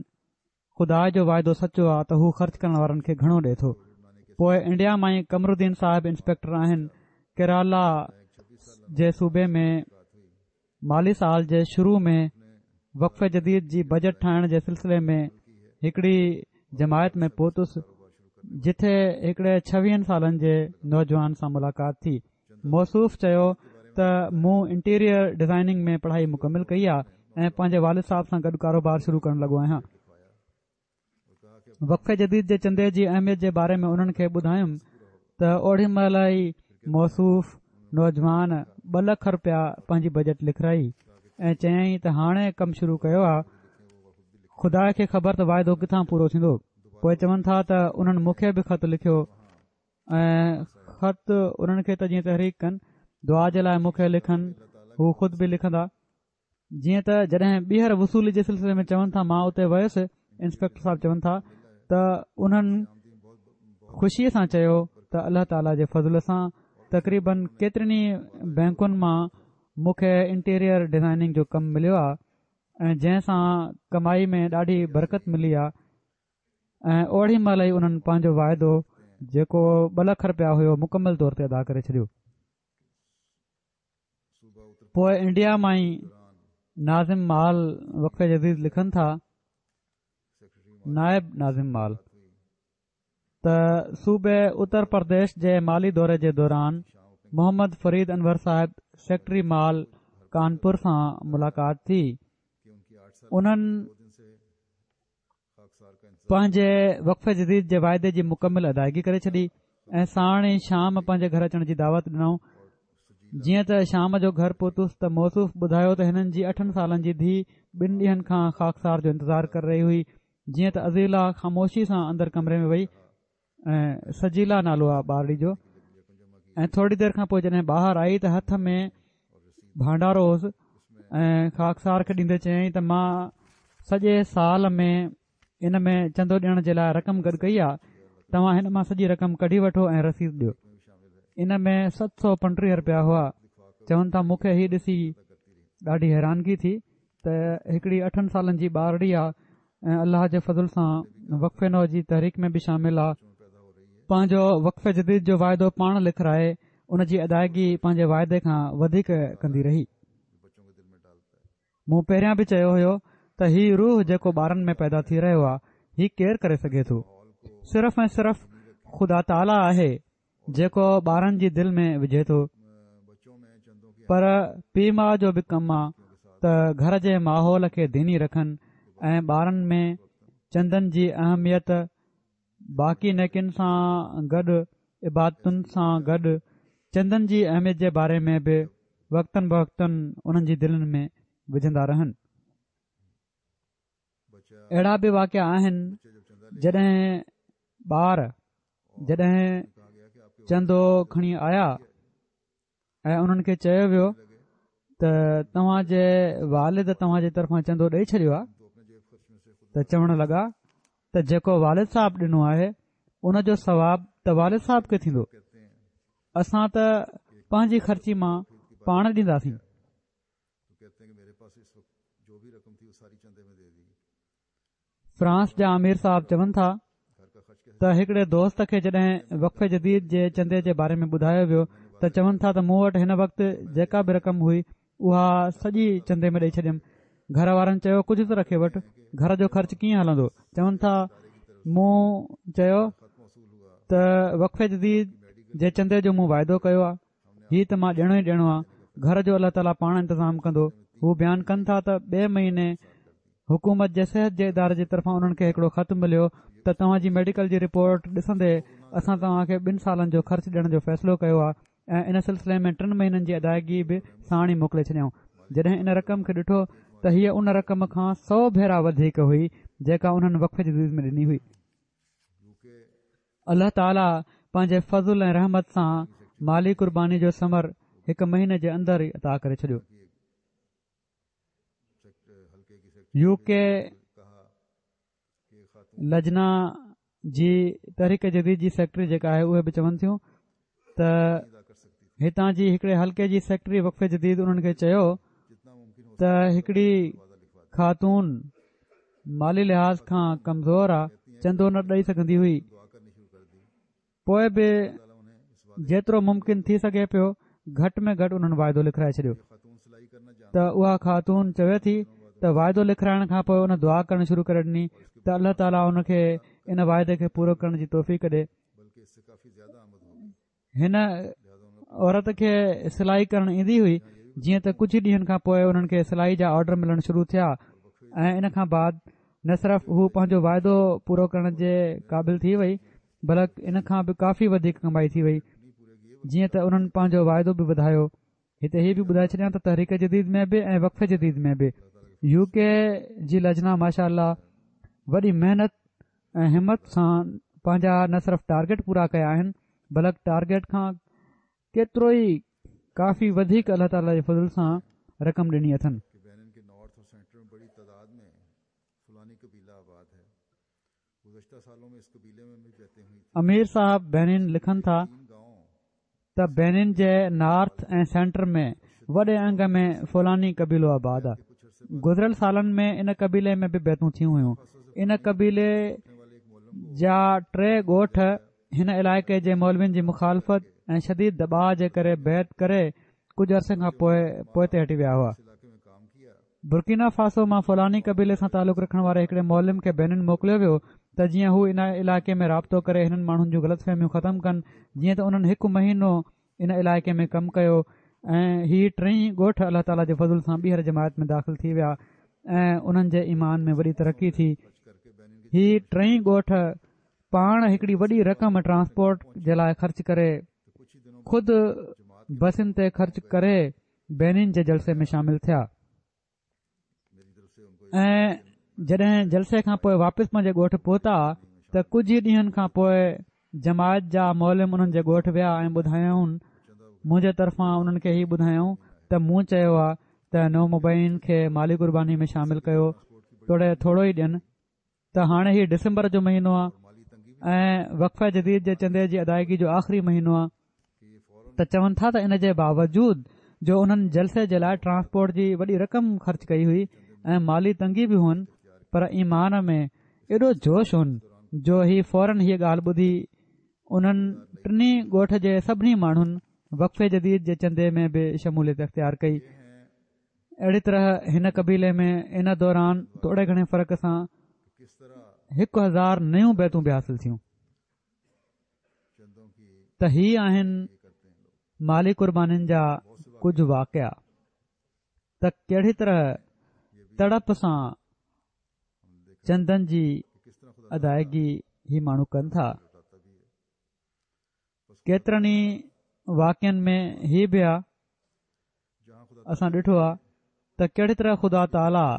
خدا جو واعدو سچو آ ته هو خرچ ڪرڻ وارن کي گهڻو ڏئي ٿو. پوء انڊيا مان ئي قمرالدين صاحب انسپيڪٽر آهن. ڪيرالا جي صوبي ۾ مالي سال جي شروع ۾ وقف جديد جي بجيٽ ٺاهڻ جي سلسلي ۾ هڪڙي جماعت ۾ پهتس، جتي هڪڙي ڇويهن سالن جي نوجوان سان ملاقات ٿي. موصوف چيو ته مون انٽيريئر ڊزائننگ ۾ پڙهائي مڪمل ڪئي آهي ۽ پنهنجي والد صاحب سان گڏ ڪاروبار شروع ڪرڻ لڳو آهيان. وقف جديد جي چندي جي اهميت جي باري ۾ انهن کي ٻڌايم ته اوڏي مهل ئي موصوف نوجوان ٻه لک رپيا پنهنجي بجيٽ لکرائي ۽ چيائين ته هاڻي ڪم شروع ڪيو آهي، خدا کي خبر ته واعدو ڪٿان پورو ٿيندو. پوء چون ٿا ته انهن مون کي به خط لکيو ۽ خط انهن کي ته جيئن تحريڪ ڪن، دعا جي لاء مون کي لکن، هو خود به لکندا. جيئن ته جڏهن ٻيهر وصولي جي سلسلي ۾ چون ٿا مان اتي ويس، انسپيڪٽر صاحب چون ٿا ته انهن خوشيء سان چيو ته الله تعاليٰ جي فضل سان تقريبن ڪيترين ئي بئنڪن مان مون کي انٽيريئر ڊزائننگ جو ڪم مليو آهي ۽ جنهن سان ڪمائي ۾ ڏاڍي برڪت ملي آهي ۽ اوڏي مهل ئي انهن پنهنجو واعدو جيڪو ٻه لک رپيا هيو مڪمل طور تي ادا ڪري ڇڏيو. پوء انڊيا مان ئي ناظم مال وقف جديد لکن ٿا، نائب ناظم مال، ته صوبي اتر پرديش جي مالي دوري جي دوران محمد فريد انور صاحب سيڪريٽري مال ڪانپور سان ملاقات ٿي. انهن پنهنجي وقف جديد جي واعدي جي مڪمل ادائگي ڪري ڇڏي ۽ ساڻ ئي شام پنهنجي گهر اچڻ جي دعوت ڏنائون. جيئن ته شام جو گهر پهتس ته موصوف ٻڌايو ته هنن جي اٺن سالن جي ڌيء ٻن ڏينهن کان خاڪسار جو انتظار ڪري رهي هئي. جيئن ته عزيله خاموشي سان اندر ڪمري ۾ وئي ۽ سجيلا نالو آ ٻارڙي جو، ۽ ٿوري دير کان پوء جڏهن ٻاهر آئي ته هٿ ۾ ڀانڊارو هوس ۽ خاڪسار کي ڏيندي چيائين ته مان سڄي سال ۾ ان ۾ چندو ڏيڻ جي لاء رقم گڏ ڪئي آ، توهان هن مان سڄي رقم ڪڍي وٺو ۽ رسيد ڏيو. ان ۾ ست سؤ پنٽيهه رپيا هئا. چون ٿا مون کي هي ڏسي ڏاڍي حيرانگي ٿي ته هڪڙي اٺن سالن جي ٻارڙي آ ۽ الله جي فضل سان وقف نو جي تحريڪ ۾ به شامل آ، پنهنجو وقف جديد جو واعدو پاڻ لکرائي ان جي ادائگي پنهنجي واعدي کان وڌيڪ ڪندي رهي. مون پهريان به چيو هيو ته هي روح جيڪو ٻارن ۾ پيدا ٿي رهيو آهي هي ڪير ڪري سگهي ٿو؟ صرف ۽ صرف خدا تعاليٰ آهي جيڪو ٻارن جي دل ۾ وجهي ٿو. پر پيء ماء جو به ڪم آ ته گهر جي ماحول کي ديني رکن ۽ ٻارن ۾ چندن جي اهميت باقي نيڪين سان گڏ عبادتن سان گڏ چندن جي اهميت جي باري ۾ به وقتن بوقتن انهن جي دلن ۾ وجهندا رهن. اهڙا به واقعا آهن جڏهن ٻار جڏهن چندو کڻي آيا ۽ انهن کي چيو ويو ته توهان جي والد توهان جي طرفان چندو ڏئي ڇڏيو آهي ته چوڻ لڳا ته جيڪو والد صاحب ڏنو آهي ان جو ثواب ته والد صاحب کي ٿيندو، اسان ته پنهنجي خرچي مان پاڻ ڏينداسين. فرانس جا امير صاحب چون ٿا ته هڪڙي دوست کي جڏهن وقف جديد جي چندي جي باري ۾ ٻڌايو ويو ته چون ٿا ته مون وٽ هن وقت جيڪا به رقم هئي اها سڄي چندي ۾ ڏئي ڇڏيم. گهر وارن چيو ڪجهه ته رکي وٺ، گهر جو خرچ ڪيئن هلندو؟ چون ٿا مون چيو ته وقف جديد جي چندي جو مون واعدو ڪيو آهي، هي ته مان ڏيڻو ئي ڏيڻو آهي، گهر جو الله تعاليٰ پاڻ انتظام ڪندو. هو بيان ڪن ٿا ته ٻئي مهيني حڪومت جي صحت جي اداري جي طرفان انهن کي هڪڙو خط مليو ته توهان جي ميڊيڪل جي رپورٽ ڏسندي اسان توهان کي ٻن سالن جو خرچ ڏيڻ جو فيصلو ڪيو آهي ۽ ان سلسلي ۾ ٽن مهينن جي ادائگي به ساڻ ئي موڪلي ڇڏيائون. جڏهن ان رقم کي ڏٺو ته هيء ان رقم کان سؤ ڀيرا وڌيڪ هئي جيڪا انهن وقف جديد ۾ ڏني هئي. الله تعاليٰ پنهنجي فضل ۽ رحمت سان مالي قرباني جو ثمر هڪ مهيني جي اندر ئي عطا ڪري ڇڏيو. يو ڪي لجنا جي تحريڪ جديد جي سيڪريٽري جيڪا آهي اهي به چون ٿيون ته هتان جي هڪڙي حلقي جي سيڪريٽري وقف جديد انهن کي چيو ته هڪڙي خاتون مالي لحاظ کان ڪمزور آ، چندو نه ڏئي سگهندي هئي، پوء به جيترو ممڪن ٿي سگهي پيو گهٽ ۾ گهٽ انهن واعدو لکرائي ڇڏيو. ته اها خاتون چوي ٿي ته واعدو لکرائڻ کان پوءِ ان دعا ڪرڻ شروع ڪري ڏني ته الله تعاليٰ ان کي ان واعدي کي پورو ڪرڻ جي توفيق ڏي. هن عورت کي سلائي ڪرڻ ايندي هئي، جيئن ته ڪجهه ڏينهن کان پوءِ انهن کي سلائي جا آرڊر ملڻ شروع ٿيا ۽ ان کان بعد نه صرف هو پنهنجو واعدو پورو ڪرڻ جي قابل ٿي وئي بلڪ ان کان به ڪافي وڌيڪ ڪمائي ٿي وئي، جيئن ته انهن پنهنجو واعدو به وڌايو. هتي هي به ٻڌائي ڇڏيان ته تحريڪ جديد ۾ به ۽ وقف جديد ۾ به يو ڪي جي لجنا ماشاء الله وڏي محنت ۽ همت سان پنهنجا نه صرف ٽارگيٽ پورا ڪيا آهن بلڪ ٽارگيٽ کان ڪيترو ئي ڪافي وڌيڪ الله تعاليٰ جي فضل سان رقم ڏني اٿن. امير صاحب بينين لکن ٿا ته بينين جي نارٿ ۽ سينٽر ۾ وڏي انگ ۾ فلاني قبيلو آباد آهي. گذريل سالن ۾ ان قبيلي ۾ به بيعتون ٿيون هيون. ان قبيلي جا ٽي ڳوٺ هن علائقي جي مولوين جي مخالفت ۽ شديد دٻاءُ جي ڪري بيعت ڪري ڪجهه عرصي کان پوءِ پوئتي هٽي ويا هئا. برڪينا فاسو مان فلاني قبيلي سان تعلق رکڻ واري هڪڙي معلم کي بينن موڪليو ويو ته جيئن هو ان علائقي ۾ رابطو ڪري هنن ماڻهن جون غلط فهميون ختم ڪن. جيئن ته انهن هڪ مهينو ان علائقي ۾ ڪم ڪيو ۽ هي ٽئي ڳوٺ الله تعاليٰ جي فضل سان ٻيهر جماعت ۾ داخل ٿي ويا ۽ انهن جي ايمان ۾ وڏي ترقي ٿي. هي ٽئي ڳوٺ پاڻ هڪڙي وڏي رقم ٽرانسپورٽ جي لاءِ خرچ ڪري خود بسن تي خرچ ڪري بينن جي جلسي ۾ شامل ٿيا ۽ جڏهن جلسي کان پوءِ واپس پنهنجي ڳوٺ پهتا ته ڪجهه ئي ڏينهن کان پوءِ جماعت جا معلم انهن جي ڳوٺ ويا ۽ ٻڌايائون، منهنجي طرفان انهن کي هي ٻڌايائون ته مون چيو آهي ته نومبائعين کي مالي قرباني ۾ شامل ڪيو توڙي ٿورو ئي ڏين. ته هاڻي هي ڊسمبر جو مهينو آهي ۽ وقف جديد جي چندي جي ادائگي جو آخري مهينو آهي. ته چون ٿا ته ان جي باوجود جو انهن جلسي جي لاءِ ٽرانسپورٽ جي وڏي رقم خرچ ڪئي هئي ۽ مالي تنگي به هئن، پر ايمان ۾ ايڏو جوش هن جو هي فورن هيءَ ڳالهه ٻڌي انهن ٽنهي ڳوٺ جي سڀني ماڻهن وقف جديد جي چندي ۾ به شموليت اختيار ڪئي. اهڙي طرح هن قبيلي ۾ ان دوران ٿوري گهڻي فرق سان هڪ هزار نيون بيعتون به حاصل ٿيون. ته هي آهن مالي قربانين جا ڪجهه واقعا ته ڪهڙي طرح تڙپ سان چندن جي ادائگي هي ماڻهو ڪن ٿا. ڪيترن ئي واقعن ۾ هي به آهي، اسان ڏٺو آهي ته ڪهڙي طرح خدا تعاليٰ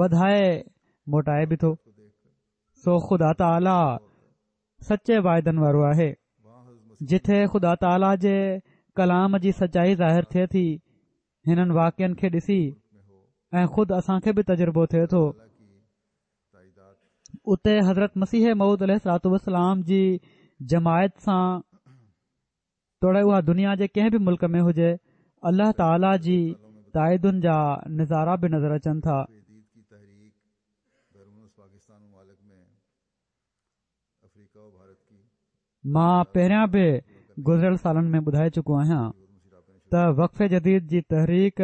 وڌائي موٽائي به ٿو. سو خدا تعاليٰ سچي واعدن وارو آهي. جٿي خدا تعاليٰ جي ڪلام جي سچائي ظاهر ٿئي ٿي هنن واقعن کي ڏسي ۽ خود اسان کي به تجربو ٿئي ٿو، اتي حضرت مسيح موعود عليه الصلوة والسلام جي جماعت سان توڙي اها دنيا جي ڪنهن به ملڪ ۾ هجي، الله تعاليٰ جي تائيدن جا نظارا به نظر اچن ٿا. مان پهريان به گذريل سالن ۾ ٻڌائي چڪو آهيان ته وقف جديد جي تحريڪ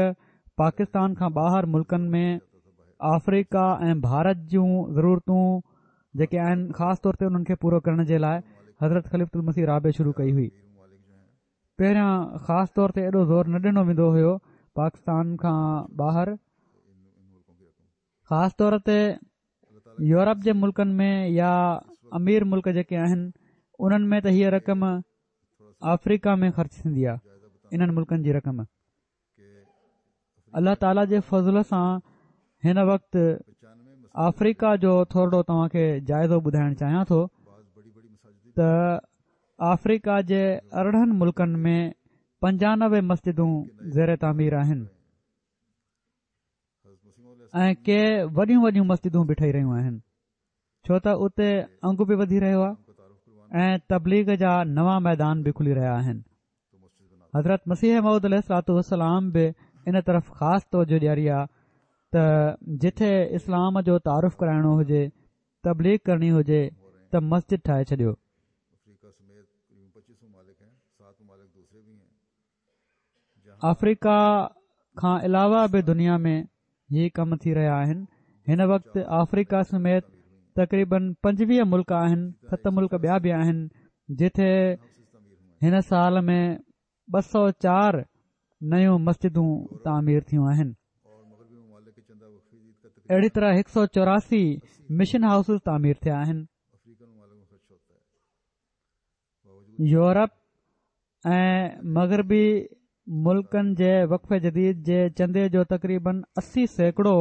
پاڪستان کان ٻاهر ملڪن ۾ آفريڪا ۽ ڀارت جون ضرورتون جيڪي آهن خاص طور تي انهن کي پورو ڪرڻ جي لاءِ حضرت خليفة المسيح رابع شروع ڪئي هئي. پهريان خاص طور تي ايڏو زور نه ڏنو ويندو هيو پاڪستان کان ٻاهر، خاص طور تي يورپ جي ملڪن ۾ يا امير ملڪ جيڪي آهن انهن ۾ ته هيءَ رقم آفريڪا ۾ خرچ ٿيندي آهي. انهن ملڪن جي رقم الله تعاليٰ جي فضل سان هن وقت آفريڪا جو ٿورڙو توهان کي جائزو ٻڌائڻ چاهيان ٿو ته آفريڪا جي ارڙهن ملڪن ۾ پنجانوي مسجدون زير تعمير آهن ۽ ڪي وڏيون وڏيون مسجدون به ٺهي رهيون آهن، ڇو ته اتي انگ به وڌي رهيو آهي ۽ تبليغ جا نوان ميدان به کلي رهيا آهن. حضرت مسيح موعود عليه الصلوة والسلام به ان طرف خاص توجه ڏياري آهي ته جٿي اسلام جو تعارف ڪرائڻو هجي، تبليغ ڪرڻي هجي ته مسجد ٺاهي ڇڏيو. آفريڪا کان علاوه به دنيا ۾ هي ڪم ٿي رهيا آهن. هن وقت آفريڪا سميت تقريبن پنجويهه ملڪ آهن، ست ملڪ ٻيا به آهن جتي هن سال ۾ ٻه سؤ چار نيون مسجدون تعمير ٿيون آهن. اهڙي طرح هڪ سؤ چوراسي مشن هائوسز تعمير ٿيا آهن. يورپ ۽ مغربي ملڪن جي وقف جديد جي چندي جو تقريبن اسي سيڪڙو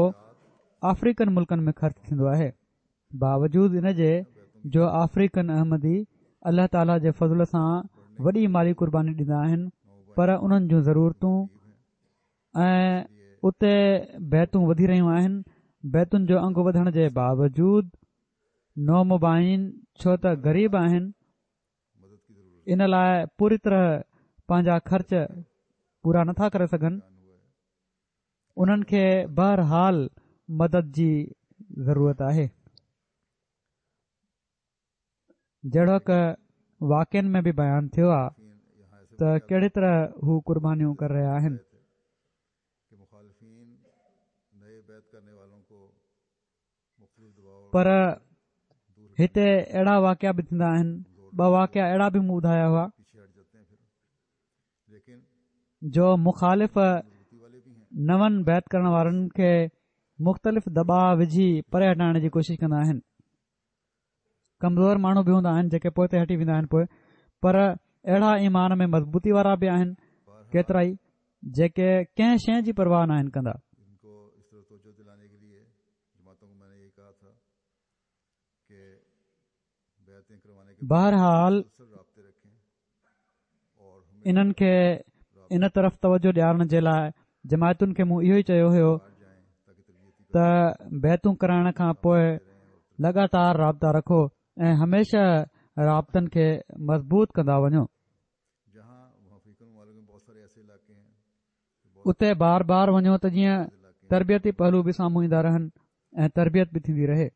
آفريڪن ملڪن ۾ خرچ ٿيندو آهي. باوجود ان جي جو آفريڪن احمدي الله تعاليٰ جي فضل سان وڏي مالي قرباني ڏيندا آهن، پر انهن جون ضرورتون ۽ اتي بيعتون وڌي رهيون آهن. بيعتن جو انگ وڌڻ جي باوجود نومبائعين ڇو ته غريب آهن، ان لاء پوري طرح پنهنجا خرچ پورا نٿا ڪري سگهن. انهن کي بهرحال مدد جي ضرورت آهي. جهڙوڪ واقعن ۾ به بيان ٿيو آهي ته ڪهڙي طرح هو قربانيون ڪري رهيا آهن. پر هتي اهڙا واقعا به ٿيندا آهن. ٻه واقعا اهڙا به مون ٻڌايا هئا جو مخالف نون بيعت ڪرڻ وارن کي مختلف دٻاء وجهي پري هٽائڻ جي ڪوشش ڪندا آهن. ڪمزور ماڻهو به هوندا آهن جيڪي پوئتي هٽي ويندا آهن پوء، پر اهڙا ايمان ۾ مضبوطي وارا به آهن ڪيترائي جيڪي ڪنهن شيء جي پرواهه ناهن ڪندا. بهرحال انهن کي ان طرف توجه ڏيارڻ جي لاء جماعتن کي مون اهو ئي چيو هيو ته بيعتون ڪرائڻ کان پوء لڳاتار رابطا رکو ۽ هميشه رابطن کي مضبوط ڪندا وڃو. اتي بار بار وڃو ته جيئن تربيتي پهلو به سامهون ايندا رهن ۽ تربيت به ٿيندي رهي.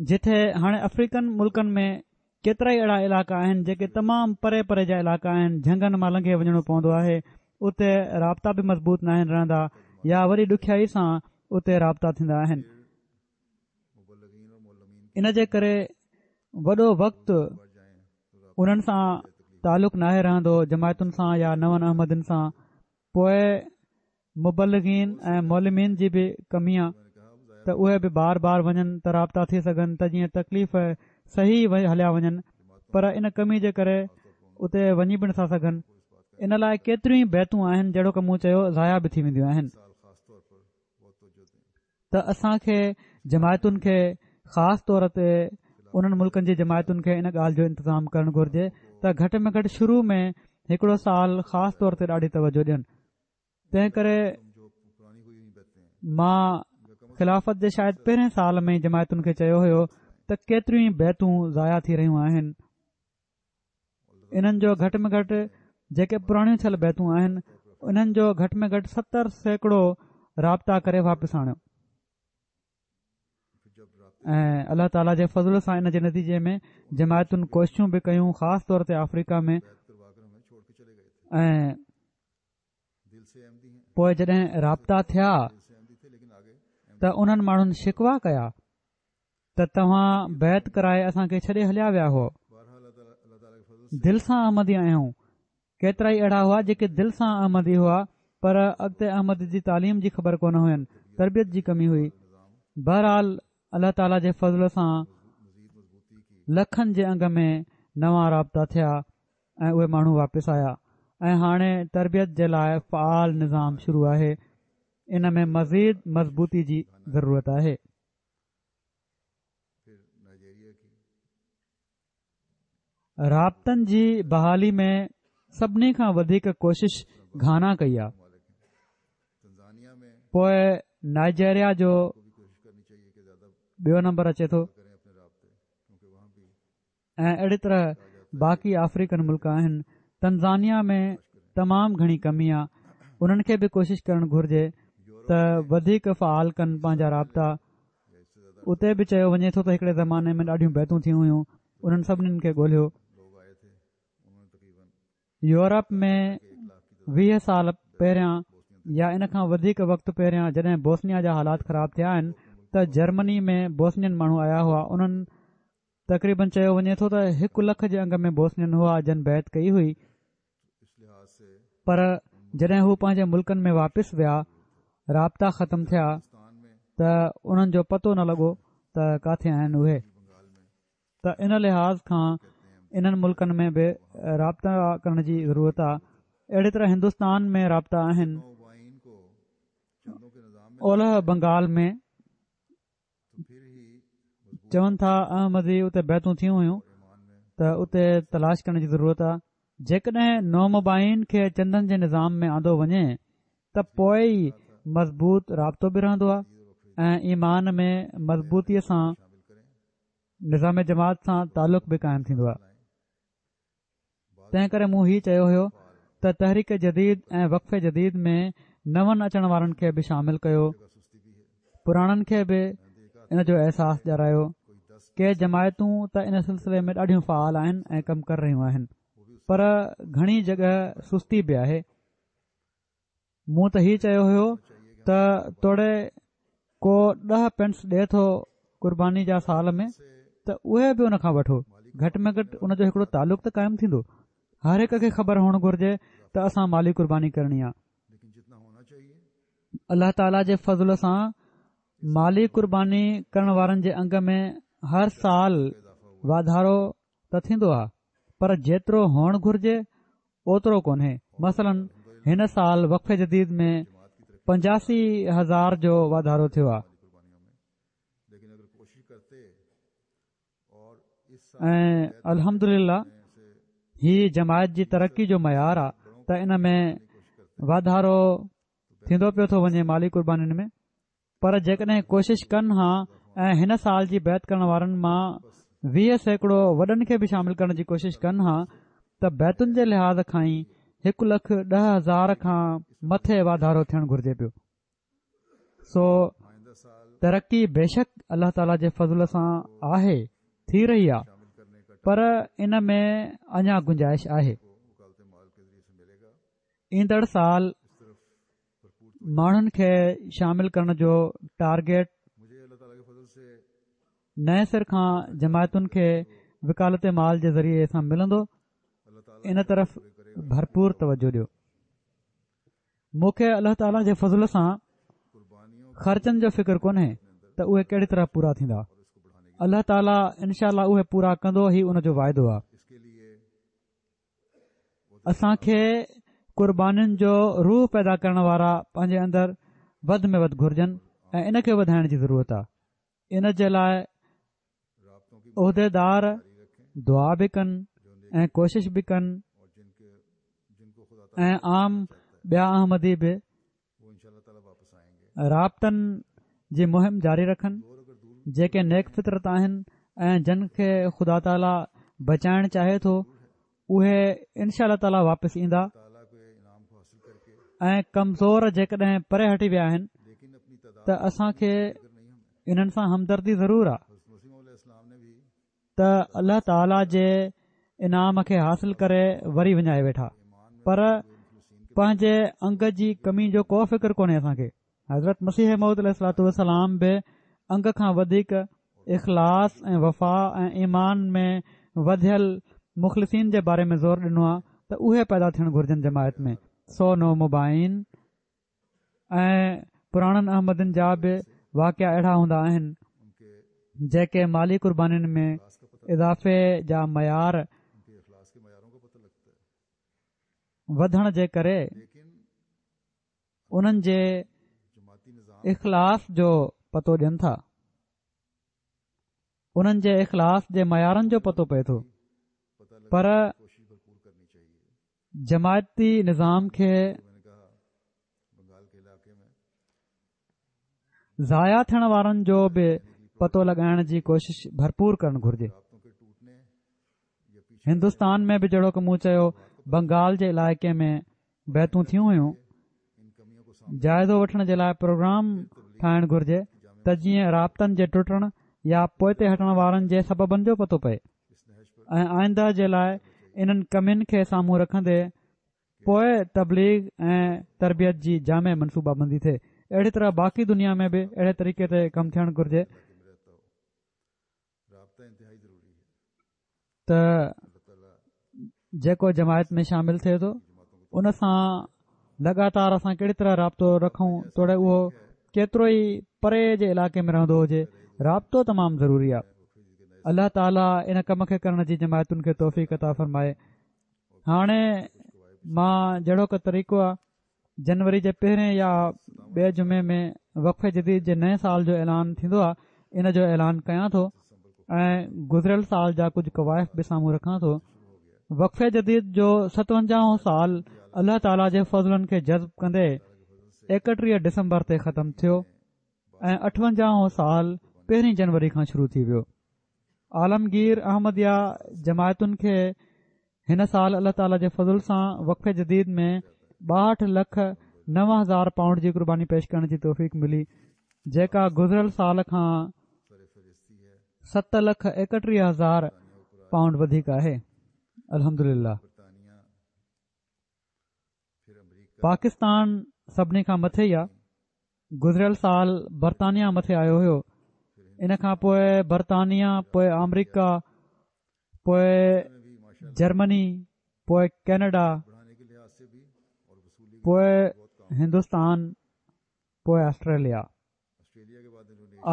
جتي هاڻي آفريڪن ملڪن ۾ ڪيترائي اهڙا علائقا آهن جيڪي تمام پري پري جا علائقا آهن، جهنگن مان لنگهي وڃڻو پوندو آهي، اتي رابطا به مضبوط ناهن رهندا يا وڏي ڏکيائي سان اتي رابطا ٿيندا آهن. ان جي ڪري وڏو وقت انهن سان تعلق ناهي رهندو جماعتن سان يا نون احمدين سان. پوء مبلغين ۽ معلمين جي به ڪمي آ ته اهي به بار بار وڃن ته رابطا ٿي سگهن ته جيئن تڪليف صحيح هليا وڃن، پر ان ڪمي جي ڪري اتي وڃي به نٿا سگهن. ان لاء ڪيتريون ئي بيعتون آهن جهڙوڪ مون چيو ضايع به ٿي وينديون آهن. ته اسان کي جماعتن کي خاص طور تي انهن ملڪن جي جماعتن کي ان ڳالهه جو انتظام ڪرڻ گهرجي ته گهٽ ۾ گهٽ شروع ۾ هڪڙو سال خاص طور تي ڏاڍي توجه ڏين. تنهن ڪري مان خلافت جي شايد پهرين سال ۾ جماعتن کي چيو هيو ته ڪيتريون ئي بيعتون ضايع ٿي رهيون آهن، انهن جو گهٽ ۾ گهٽ جيڪي پراڻيون ٿيل بيعتون آهن انهن جو گهٽ ۾ گهٽ ستر سيڪڙو رابطا ڪري واپس آڻيو. ۽ الله تعاليٰ جي فضل سان ان جي نتيجي ۾ جماعتن ڪوششون به ڪيون خاص طور تي آفريڪا ۾، ۽ پوء جڏهن رابطا ٿيا ته انهن ماڻهن شڪوا ڪيا ته توهان بيعت ڪرائي اسان کي ڇڏي هليا ويا هئو. دل سان احمدي آهيون. ڪيترائي اهڙا هئا جيڪي دل سان احمدي هئا پر اڳتي احمدي جي تعليم جي خبر ڪونه هين، تربيت جي ڪمي هئي. بهرحال الله تعاليٰ جي فضل سان لکن جي انگ ۾ نوان رابطا ٿيا ۽ اهي ماڻهو واپس آيا ۽ هاڻي تربيت جي لاء فعال نظام شروع آهي. ان ۾ مزيد مضبوطي جي ضرورت آهي. رابطن جي بحالي ۾ سڀني کان وڌيڪ ڪوشش گهانا ڪئي آهي، پوء نائجيريا جو ٻيو نمبر اچي ٿو ۽ اهڙي طرح باقي آفريڪن ملڪ آهن. تنزانيا ۾ تمام گهڻي ڪمي آهي، انهن کي به ڪوشش ڪرڻ گهرجي ته وڌيڪ فعال ڪن پنهنجا رابطا. اتي به چيو وڃي ٿو ته هڪڙي زماني ۾ ڏاڍيون بيعتون ٿيون هيون، انهن سڀني کي ڳولهيو. يورپ ۾ ويهه سال پهريان يا ان کان وڌيڪ وقت پهريان جڏهن بوسنيا جا حالات خراب ٿيا آهن ته جرمني ۾ بوسنين ماڻهو آيا هئا. انهن تقريبن چيو وڃي ٿو ته هڪ لک جي انگ ۾ بوسنين هئا جن بيعت ڪئي هئي، پر جڏهن هو پنهنجي ملڪن ۾ واپس ويا، رابطا ختم ٿيا ته انهن جو پتو نه لڳو ته ڪاٿي آهن اهي. ته ان لحاظ کان انهن ملڪن ۾ به رابطا ڪرڻ جي ضرورت آهي. اهڙي طرح هندستان ۾ رابطا آهن. اولهه بنگال ۾ چون ٿا احمدي اتي بيعتون ٿيون هيون ته اتي تلاش ڪرڻ جي ضرورت آهي. جيڪڏهن نومبائعين کي چندن جي نظام ۾ آندو وڃي ته پوءِ ئي مضبوط رابطو به رهندو آهي ۽ ايمان ۾ مضبوطيءَ سان نظام جماعت سان تعلق به قائم ٿيندو آهي. تنهن ڪري مون هي چيو هيو ته تحريڪ جديد ۽ وقف جديد ۾ نون اچڻ وارن کي به شامل ڪيو، پراڻن کي به ان جو احساس ڏياريو. ڪي جماعتون ته ان سلسلي ۾ ڏاڍيون فعال آهن ۽ ڪم ڪري رهيون آهن، پر گهڻي جڳهه سستي به آهي. مون ته هي چيو هيو ته توڙي ڪو ڏهه پينس ڏئي ٿو قرباني جا سال ۾ ته اهي به ان کان وٺو، گهٽ ۾ گهٽ ان جو هڪڙو تعلق ته قائم ٿيندو. هر هڪ کي خبر هئڻ گهرجي ته اسان مالي قرباني ڪرڻي آهي. الله تعاليٰ جي فضل سان مالي قرباني ڪرڻ وارن جي انگ ۾ هر سال واڌارو ته ٿيندو آهي، پر جيترو هئڻ گهرجي اوترو ڪونهي. مثلاً هن سال وقف جديد ۾ پنجاسي هزار جو واڌارو ٿيو آهي ۽ الحمدلله هي جماعت جي ترقي جو معيار آهي ته ان ۾ واڌارو ٿيندو پيو ٿو وڃي مالي قربانين ۾. پر جيڪڏهن ڪوشش ڪن ها ۽ هن سال جي بيعت ڪرڻ وارن مان ويهه سيڪڙو وڏن کي به شامل ڪرڻ جي ڪوشش ڪن ها ته بيعتن جي لحاظ کان ئي هڪ لک ڏهه هزار کان مٿي واڌارو ٿيڻ گهرجي پيو. سو ترقي بيشڪ الله تعاليٰ جي فضل سان آهي، ٿي رهي آهي، پر ان ۾ اڃا گنجائش آهي. ايندڙ سال ماڻهن کي شامل ڪرڻ جو ٽارگيٽ نئين سر کان جماعتن کي وڪالت مال جي ذريعي سان ملندو. ان طرف ڀرپور توجه ڏيو. مون کي الله تعاليٰ جي فضل سان خرچن جو فڪر ڪونهي ته اهي ڪهڙي طرح پورا ٿيندا. الله تعاليٰ انشاء الله اهي پورا ڪندو، هي ان جو واعدو آهي. اسان کي قربانين جو روح پيدا ڪرڻ وارا پنهنجي اندر وڌ ۾ وڌ گهرجن ۽ ان کي وڌائڻ جي ضرورت آهي. ان جي لاءِ عهديدار دعا به ڪن ۽ ڪوشش به ڪن ۽ عام ٻيا احمدي به رابطن جي مهم جاري رکن. جيڪي نيڪ فطرت آهن ۽ جن کي خدا تعاليٰ بچائڻ چاهي ٿو اهي انشاء الله تعاليٰ واپس ايندا ۽ ڪمزور جيڪڏهن پري هٽي ويا آهن ته اسان کي انهن سان همدردي ضرور آهي ته الله تعاليٰ جي انعام کي حاصل ڪري وري وڃائي ويٺا، پر پنهنجي انگ جي ڪمي جو ڪو فڪر ڪونهي اسان کي. حضرت مسيح موعود عليه الصلوة والسلام به انگ کان وڌيڪ اخلاص ۽ وفا ۽ ايمان ۾ وڌيل مخلصين جي باري ۾ زور ڏنو آهي ته اهي پيدا ٿيڻ گهرجن جماعت ۾. سو نومبائعين ۽ پراڻن احمدين جا به واقعا اهڙا هوندا آهن جيڪي مالي قربانين ۾ اضافي جا معيار وڌڻ جي ڪري انهن جي اخلاص جو پتو ڏين ٿا، انهن جي اخلاص جي معيارن جو پتو پئي ٿو. پر جماعتي نظام کي ضايع ٿيڻ وارن جو به پتو لڳائڻ جي ڪوشش ڀرپور ڪرڻ گهرجي. هندستان ۾ به جهڙوڪ مون چيو بنگال جي علائقي ۾ بيعتون ٿيون هيون. جائزو وٺڻ جي لاءِ پروگرام ٺاهڻ گهرجي ته جيئن رابطن جي ٽٽڻ يا پوئتي هٽڻ وارن جي سببن جو پتو پئي ۽ آئنده جي لاءِ انهن ڪمين کي سامهون رکندي پوءِ تبليغ ۽ تربيت جي جامع منصوبابندي ٿئي. اهڙي طرح باقي دنيا ۾ به اهڙي طريقي تي ڪم ٿيڻ گهرجي ته جيڪو جماعت ۾ شامل ٿئي ٿو ان سان لڳاتار اسان ڪهڙي طرح رابطو رکون، توڙي اهو ڪيترو ئي پري جي علائقي ۾ رهندو هجي، رابطو تمام ضروري آهي. الله تعاليٰ ان ڪم کي ڪرڻ جي جماعتن کي توفيق عطا فرمائي. هاڻي مان جهڙوڪ طريقو آهي جنوري جي پهرين يا ٻئي جمعي ۾ وقف جديد جي نئين سال جو اعلان ٿيندو آهي، ان جو اعلان ڪيان ٿو ۽ گذريل سال جا ڪجهه ڪوائف به سامهون رکان ٿو. وقف جديد جو ستونجاهون سال الله تعاليٰ جي فضلن کي جذب ڪندي ايڪٽيهه ڊسمبر تي ختم ٿيو ۽ اٺونجاهون سال پهرين جنوري کان شروع ٿي ويو. عالمگير احمديه جماعتن کي هن سال الله تعاليٰ جي فضل سان وقف جديد ۾ ٻاهٺ لک نو هزار پائونڊ جي قرباني پيش ڪرڻ جي توفيق ملي، جيڪا گذريل سال کان ست لک ايڪٽيهه هزار پائونڊ وڌيڪ آهي. الحمدلله. پاڪستان سڀني کان مٿي ئي آهي. گذريل سال برطانيا مٿي آيو هيو، ان کان پوءِ برطانيا، پوءِ آمريڪا، پوءِ جرمني، پوءِ ڪينيڊا، پوءِ هندستان، پوءِ آسٽريليا.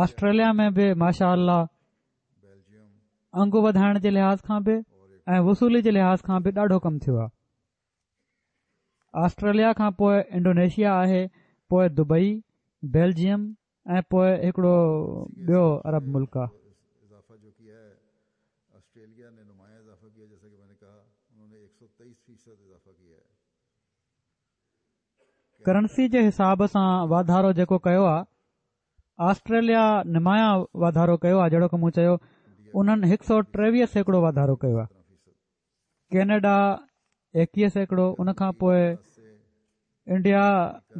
آسٽريليا ۾ به ماشاء الله انگ وڌائڻ جي لحاظ کان به ۽ وصولي جي لحاظ کان به ڏاڍو ڪم ٿيو آهي. آسٽريليا کان پوءِ انڊونيشيا آهي، پوءِ دبئي، بيلجيم ۽ پوءِ هڪڙو ٻيو عرب ملڪ آهي. ڪرنسي جي حساب سان واڌارو جيڪو ڪيو آهي، آسٽريليا نمايان واڌارو ڪيو آهي، جهڙوڪ مون چيو انهن هڪ سؤ ٽيويهه سيڪڙو واڌارو ڪيو آهي. ڪينيڊا ايڪويهه سيڪڙو، ان کان پوءِ انڊيا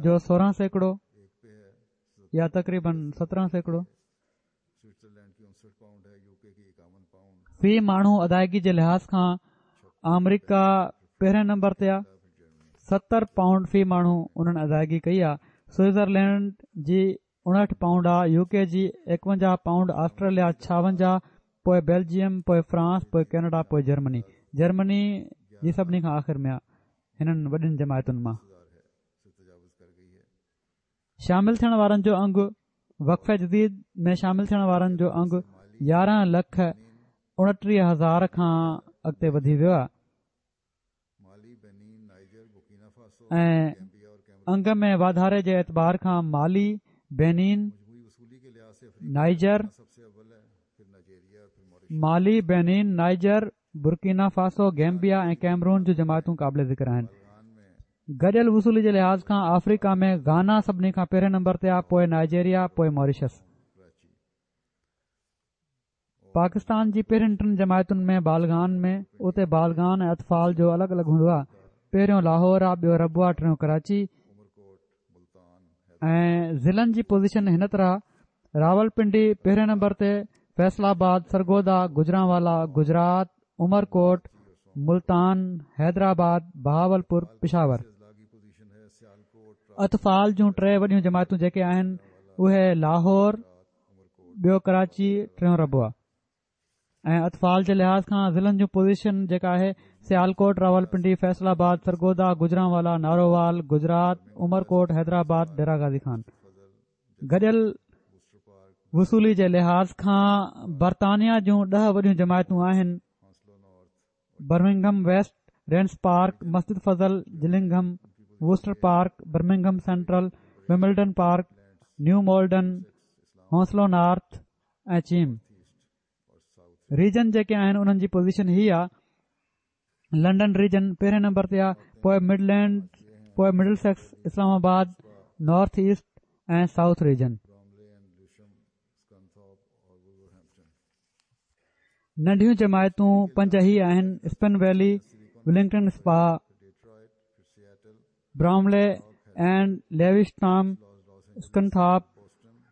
جو سورهن سيڪڙو يا تقريبن سترهن سيڪڙو. في ماڻهو ادائگي جي لحاظ کان آمريڪا پهرين نمبر تي آهي، ستر پائونڊ في ماڻهو انهن ادائگي ڪئي آهي. سوئٽزرلينڊ جي اڻهٺ پائونڊ آهي، يو ڪي جي ايڪونجاهه پائونڊ، آسٽريليا ڇاونجاهه، پوءِ بيلجيم، پوءِ فرانس، پوءِ ڪينيڊا، پوءِ جرمني. جرمني جي سڀني کان آخر ۾ آهي هنن وڏين جماعتن مان. شامل ٿيڻ وارن جو انگ وقف جديد ۾ شامل ٿيڻ وارن جو انگ يارهن لک اڻٽيهه هزار کان اڳتي وڌي ويو آهي ۽ انگ ۾ واڌاري جي اعتبار کان مالي، Benin, Niger, Mali, Benin, Niger, Burkina Faso, Gambia ۽ Cameroon جون جماعتون قابل ذڪر آهن. گڏيل وصولي جي لحاظ کان آفريڪا ۾ گانا سڀني کان پهرين نمبر تي آهي، پوءِ نائيجيريا، پوءِ ماريشس. پاڪستان جي پهرين ٽن جماعتن ۾ بالغان ۾ اتي بالغان ۽ اطفال جو الڳ الڳ هوندو آهي. پهريون لاهور آهي، ٻيو ربوه، ٽيون ڪراچي. ۽ ضلعن جي پوزيشن هن طرح: راولپنڊي پهرين نمبر تي، فيصل آباد، سرگوڌا، گجرانوالا، گجرات، عمرڪوٽ، ملتان، حيدرآباد، بهاولپور، پشاور. اطفال جون ٽي وڏيون جماعتون جيڪي آهن اهي لاهور، ٻيو ڪراچي، ٽيون ربوه. ۽ اطفال جي لحاظ کان ضلعن جون پوزيشن جيڪا آهي سيالڪوٽ، راولپنڊي، فيصل آباد، سرگوڌا، گجرانوالا، نارووال، گجرات، عمرڪوٽ، حيدرآباد، ڊيرا غازي خان. گڏيل وصولي جي لحاظ کان برطانيا جون ڏهه وڏيون جماعتون آهن: Birmingham West, Raynes Park, Masjid Fazl, Gillingham, Worcester Park, Birmingham Central, Wimbledon Park, New Malden, Hounslow North ۽ Cheam. Region جيڪي آهن انهن جي پوزيشن هي آهي: لنڊن ريجن پهرين نمبر تي آهي، پوءِ مڊلينڊ، پوءِ Middlesex, Islamabad, North East ۽ South region. ننڍيون جماعتون پنج هي آهن: Spen Valley, Wellington Spa, Bromley and Lewisham, Scunthorpe,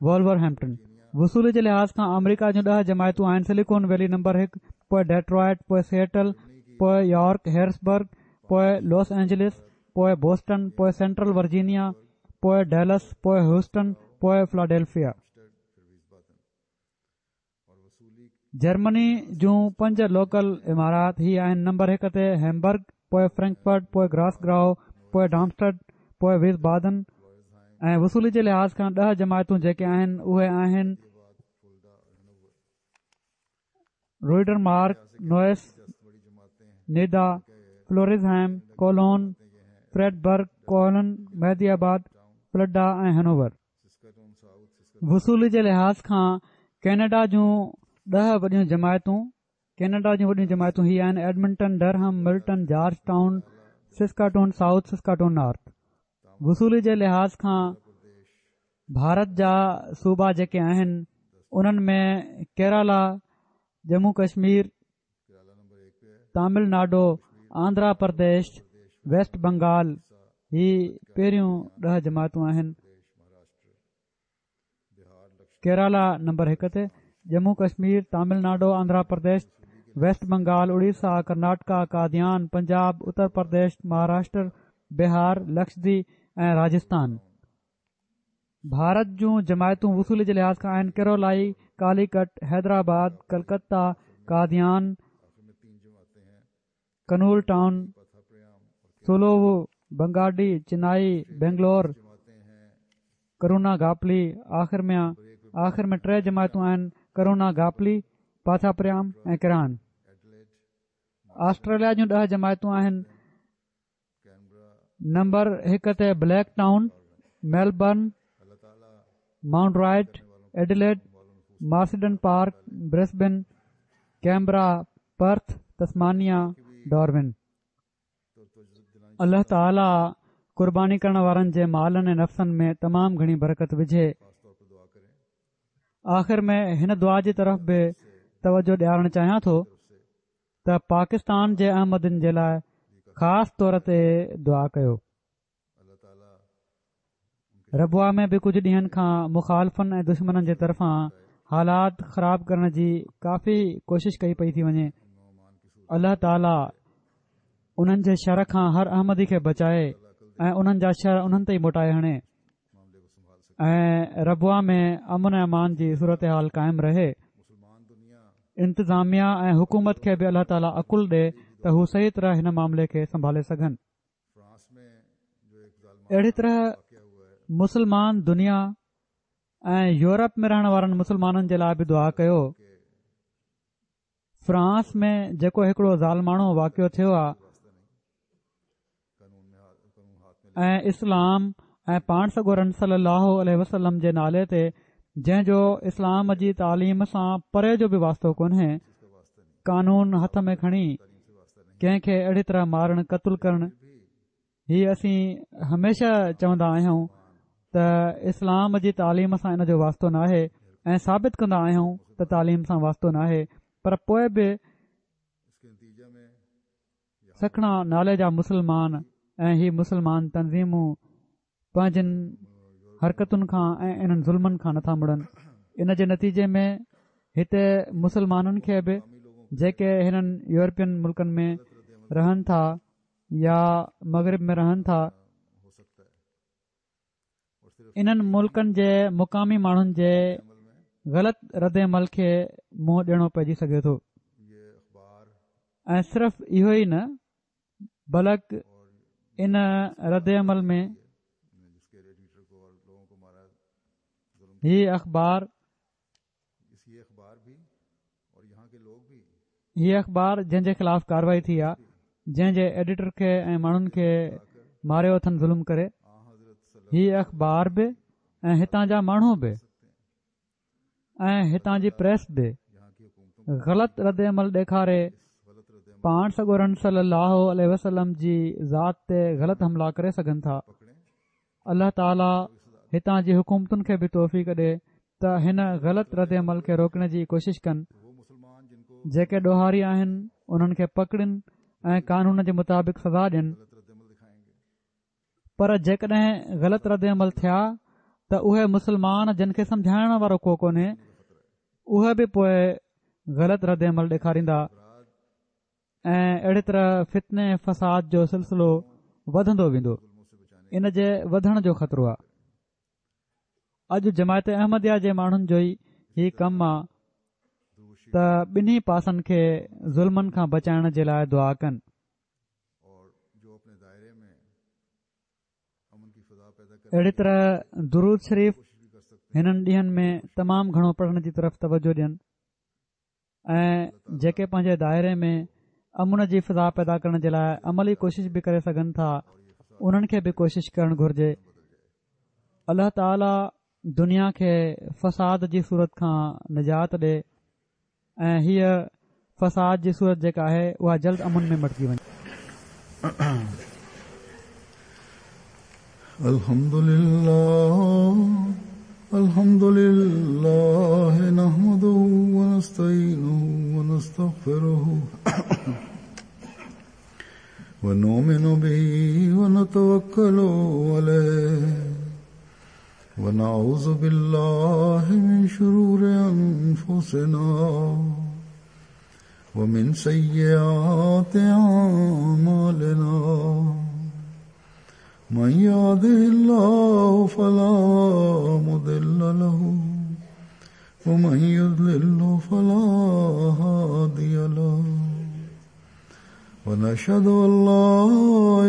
Wolverhampton. وصولي جي لحاظ کان آمريڪا جون ڏهه جماعتون آهن: سليڪون ويلي نمبر هڪ، پوءِ ڊيٽرائٽ، پوءِ سيئٽل، پوءِ يارڪ هيرسبرگ، پوءِ لاس اينجلس، پوءِ بوسٽن، پوءِ سينٽرل ورجينيا، پوءِ ڊيلس، پوءِ هيوسٽن، پوءِ فلاڊيلفيا. جرمني جون پنج لوڪل امارات هي آهن نمبر هڪ تي هيمبرگ، پوءِ فرينڪفرٽ، پوءِ گراس گراهو، پوءِ ڊارمسٽڊ، پوءِ ويس بادن. ۽ وصولي جي لحاظ کان ڏهه جماعتون جيڪي آهن اهي آهن روئڊرمارڪ، نوئس، نيدا، فلورزهائم، ڪولون، فريڊبرگ، ڪولن، مهدي آباد، فلڊا ۽ هنوور. وصولي جي لحاظ کان ڪينيڊا جون ڏهه وڏيون جماعتون ڪينيڊا جون وڏيون جماعتون هي آهن Edmonton, Durham, Milton, Georgetown, Saskatoon South, Saskatoon North. وصولي جي لحاظ کان ڀارت جا صوبا جيڪي آهن انهن ۾ ڪيرالا، ڄمون ڪشمير، تامل ناڊو، آنڌرا پرديش، ويسٽ بنگال هي پهريون ڏهه جماعتون آهن. ڪيرالا نمبر هڪ تي، ڄمون ڪشمير، تامل ناڊو، آنڌرا پرديش، ويسٽ بنگال، اڙيسا، ڪرناٽڪا، قاديان، پنجاب، اتر پرديش، مهاراشٽر، بهار، لڪشديپ ۽ راجسٿان. ڀارت جون جماعتون وصولي جي لحاظ کان آهن ڪيرولائي، ڪاليڪٽ، حيدرآباد، ڪلڪتا، قاديان، ڪنول ٽائون، سولوو، بنگاڊي، چنائي، بينگلور، ڪرونا گاپلي. آخر ۾ آخر ۾ ٽي جماعتون آهن ڪرونا گاپلي، پاٿاپريام ۽ ڪران. آسٽريليا جون ڏهه جماعتون آهن نمبر هڪ تي Blacktown, Melbourne, Mount Druitt, Adelaide, Marsden Park, Brisbane, Canberra, Perth, Tasmania, Darwin. الله تعاليٰ قرباني ڪرڻ وارن جي مالن ۽ نفسن ۾ تمام گهڻي برڪت وجهي. آخر ۾ هن دعا جي طرف به توجه ڏيارڻ چاهيان ٿو ته پاڪستان جي احمدين جي لاءِ خاص طور تي دعا ڪيو. ربوه ۾ به ڪجهه ڏينهن کان مخالفن ۽ دشمنن جي طرفان حالات خراب ڪرڻ جي ڪافي ڪوشش ڪئي پئي ٿي وڃي. الله تعاليٰ انهن جي شر کان هر احمدي کي بچائي ۽ انهن جا شر انهن تي ئي موٽائي هڻي ۽ ربوه ۾ امن ۽ امان جي صورت حال قائم رهي. انتظاميا ۽ حڪومت کي به الله تعاليٰ عقل ڏي ته هو صحيح طرح هن معاملي کي سنڀالي سگهن. اهڙي طرح مسلمان دنيا ۽ يورپ ۾ رهڻ وارن مسلمانن جي لاءِ به دعا ڪيو. فرانس ۾ جيڪو هڪڙو ظالماڻو واقعو ٿيو آهي ۽ اسلام ۽ پاڻ سڳورن صلي الله عليه وسلم جي نالي تي جنهن جو اسلام جي تعليم سان پري جو به واسطو ڪونهي، قانون هٿ ۾ کڻي ڪنهن کي اهڙي طرح مارڻ قتل ڪرڻ، هي اسين هميشه چوندا آهيون ته اسلام جي تعليم سان ان جو واسطو ناهي ۽ ثابت ڪندا آهيون ته تعليم سان واسطو ناهي، پر پوءِ به سکڻا نالي جا مسلمان ۽ هي مسلمان تنظيمون پنهنجن حرڪتن کان ۽ انهن ظلمن کان نٿا مڙن. ان جي نتيجي ۾ هتي مسلمانن کي به جيڪي هنن يورپين ملڪن ۾ رهن ٿا يا مغرب ۾ رهن ٿا، انهن ملڪن جي مقامي ماڻهن جي غلط رد عمل کي منهن ڏيڻو پئجي سگهي ٿو. ۽ صرف اهو ئي نه بلڪ ان رد عمل ۾ هي اخبار هي اخبار جنهن جي خلاف ڪارروائي ٿي آهي، جنهن جي ايڊيٽر کي ۽ ماڻهن کي ماريو اٿن ظلم ڪري، هي اخبار به ۽ هتان جا ماڻهو به ۽ هتان جي پريس به غلط رد عمل ڏيکاري پاڻ سڳورن صلي الله عليه وسلم جي ذات تي غلط حملا ڪري سگهن ٿا. الله تعاليٰ هتان جي حڪومتن کي به توفيق ڏي ته هن غلط رد عمل کي روڪڻ جي ڪوشش ڪن. جيڪي ڏوهاري آهن انهن کي پڪڙن ۽ قانون جي مطابق سزا ڏين، پر جيڪڏهن غلط رد عمل ٿيا ته اهي مسلمان جن کي سمجهائڻ وارو ڪو ڪونهي اهي به پوءِ غلط رد عمل ڏيکاريندا ۽ اهڙي طرح فتني فساد جو سلسلو وڌندو ويندو. ان جي وڌڻ جو خطرو آهي. اڄ جماعت احمديه جي ماڻهن جو ئي هي ڪم آهي ته ٻنهي پاسن کي ظلمن کان بچائڻ جي لاءِ دعا ڪن. اهڙي طرح درود شريف هنن ڏينهن ۾ تمام گهڻو پڙهڻ جي طرف توجه ڏين ۽ جيڪي پنهنجي دائري ۾ امن جي فضا پيدا ڪرڻ جي لاءِ عملي ڪوشش به ڪري سگهن ٿا، انهن کي به ڪوشش ڪرڻ گهرجي. الله تعاليٰ دنيا کي فساد جي صورت کان نجات ڏي ۽ هيءَ فساد جي صورت جيڪا آهي اها جلد امن ۾ مٽجي وڃي. الحمد لله الحمد لله نحمده ونستعينه ونستغفره ونؤمن به ونتوكل عليه ونعوذ بالله من شرور أنفسنا ومن سيئات أعمالنا من يهده الله فلا مضل له ومن يضلل فلا هادي له ونشهد أن لا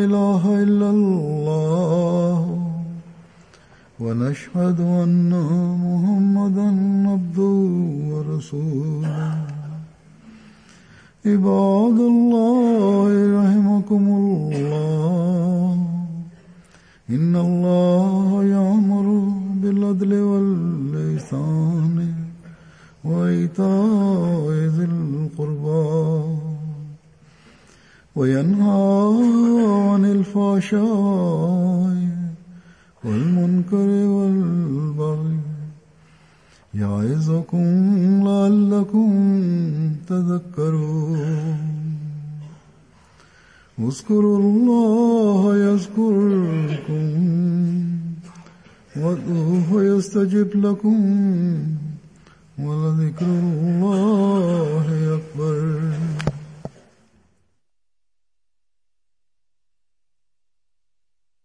إله إلا الله ونشهد أن محمدا عبده ورسوله. عباد الله رحمكم الله، إن الله يأمر بالعدل والإحسان وإيتاء ذي القربى وينهى عن الفحشاء والمنكر والبغي يعظكم لعلكم تذكرون. اذكروا الله يذكركم وادعوه يستجب لكم ولذكر الله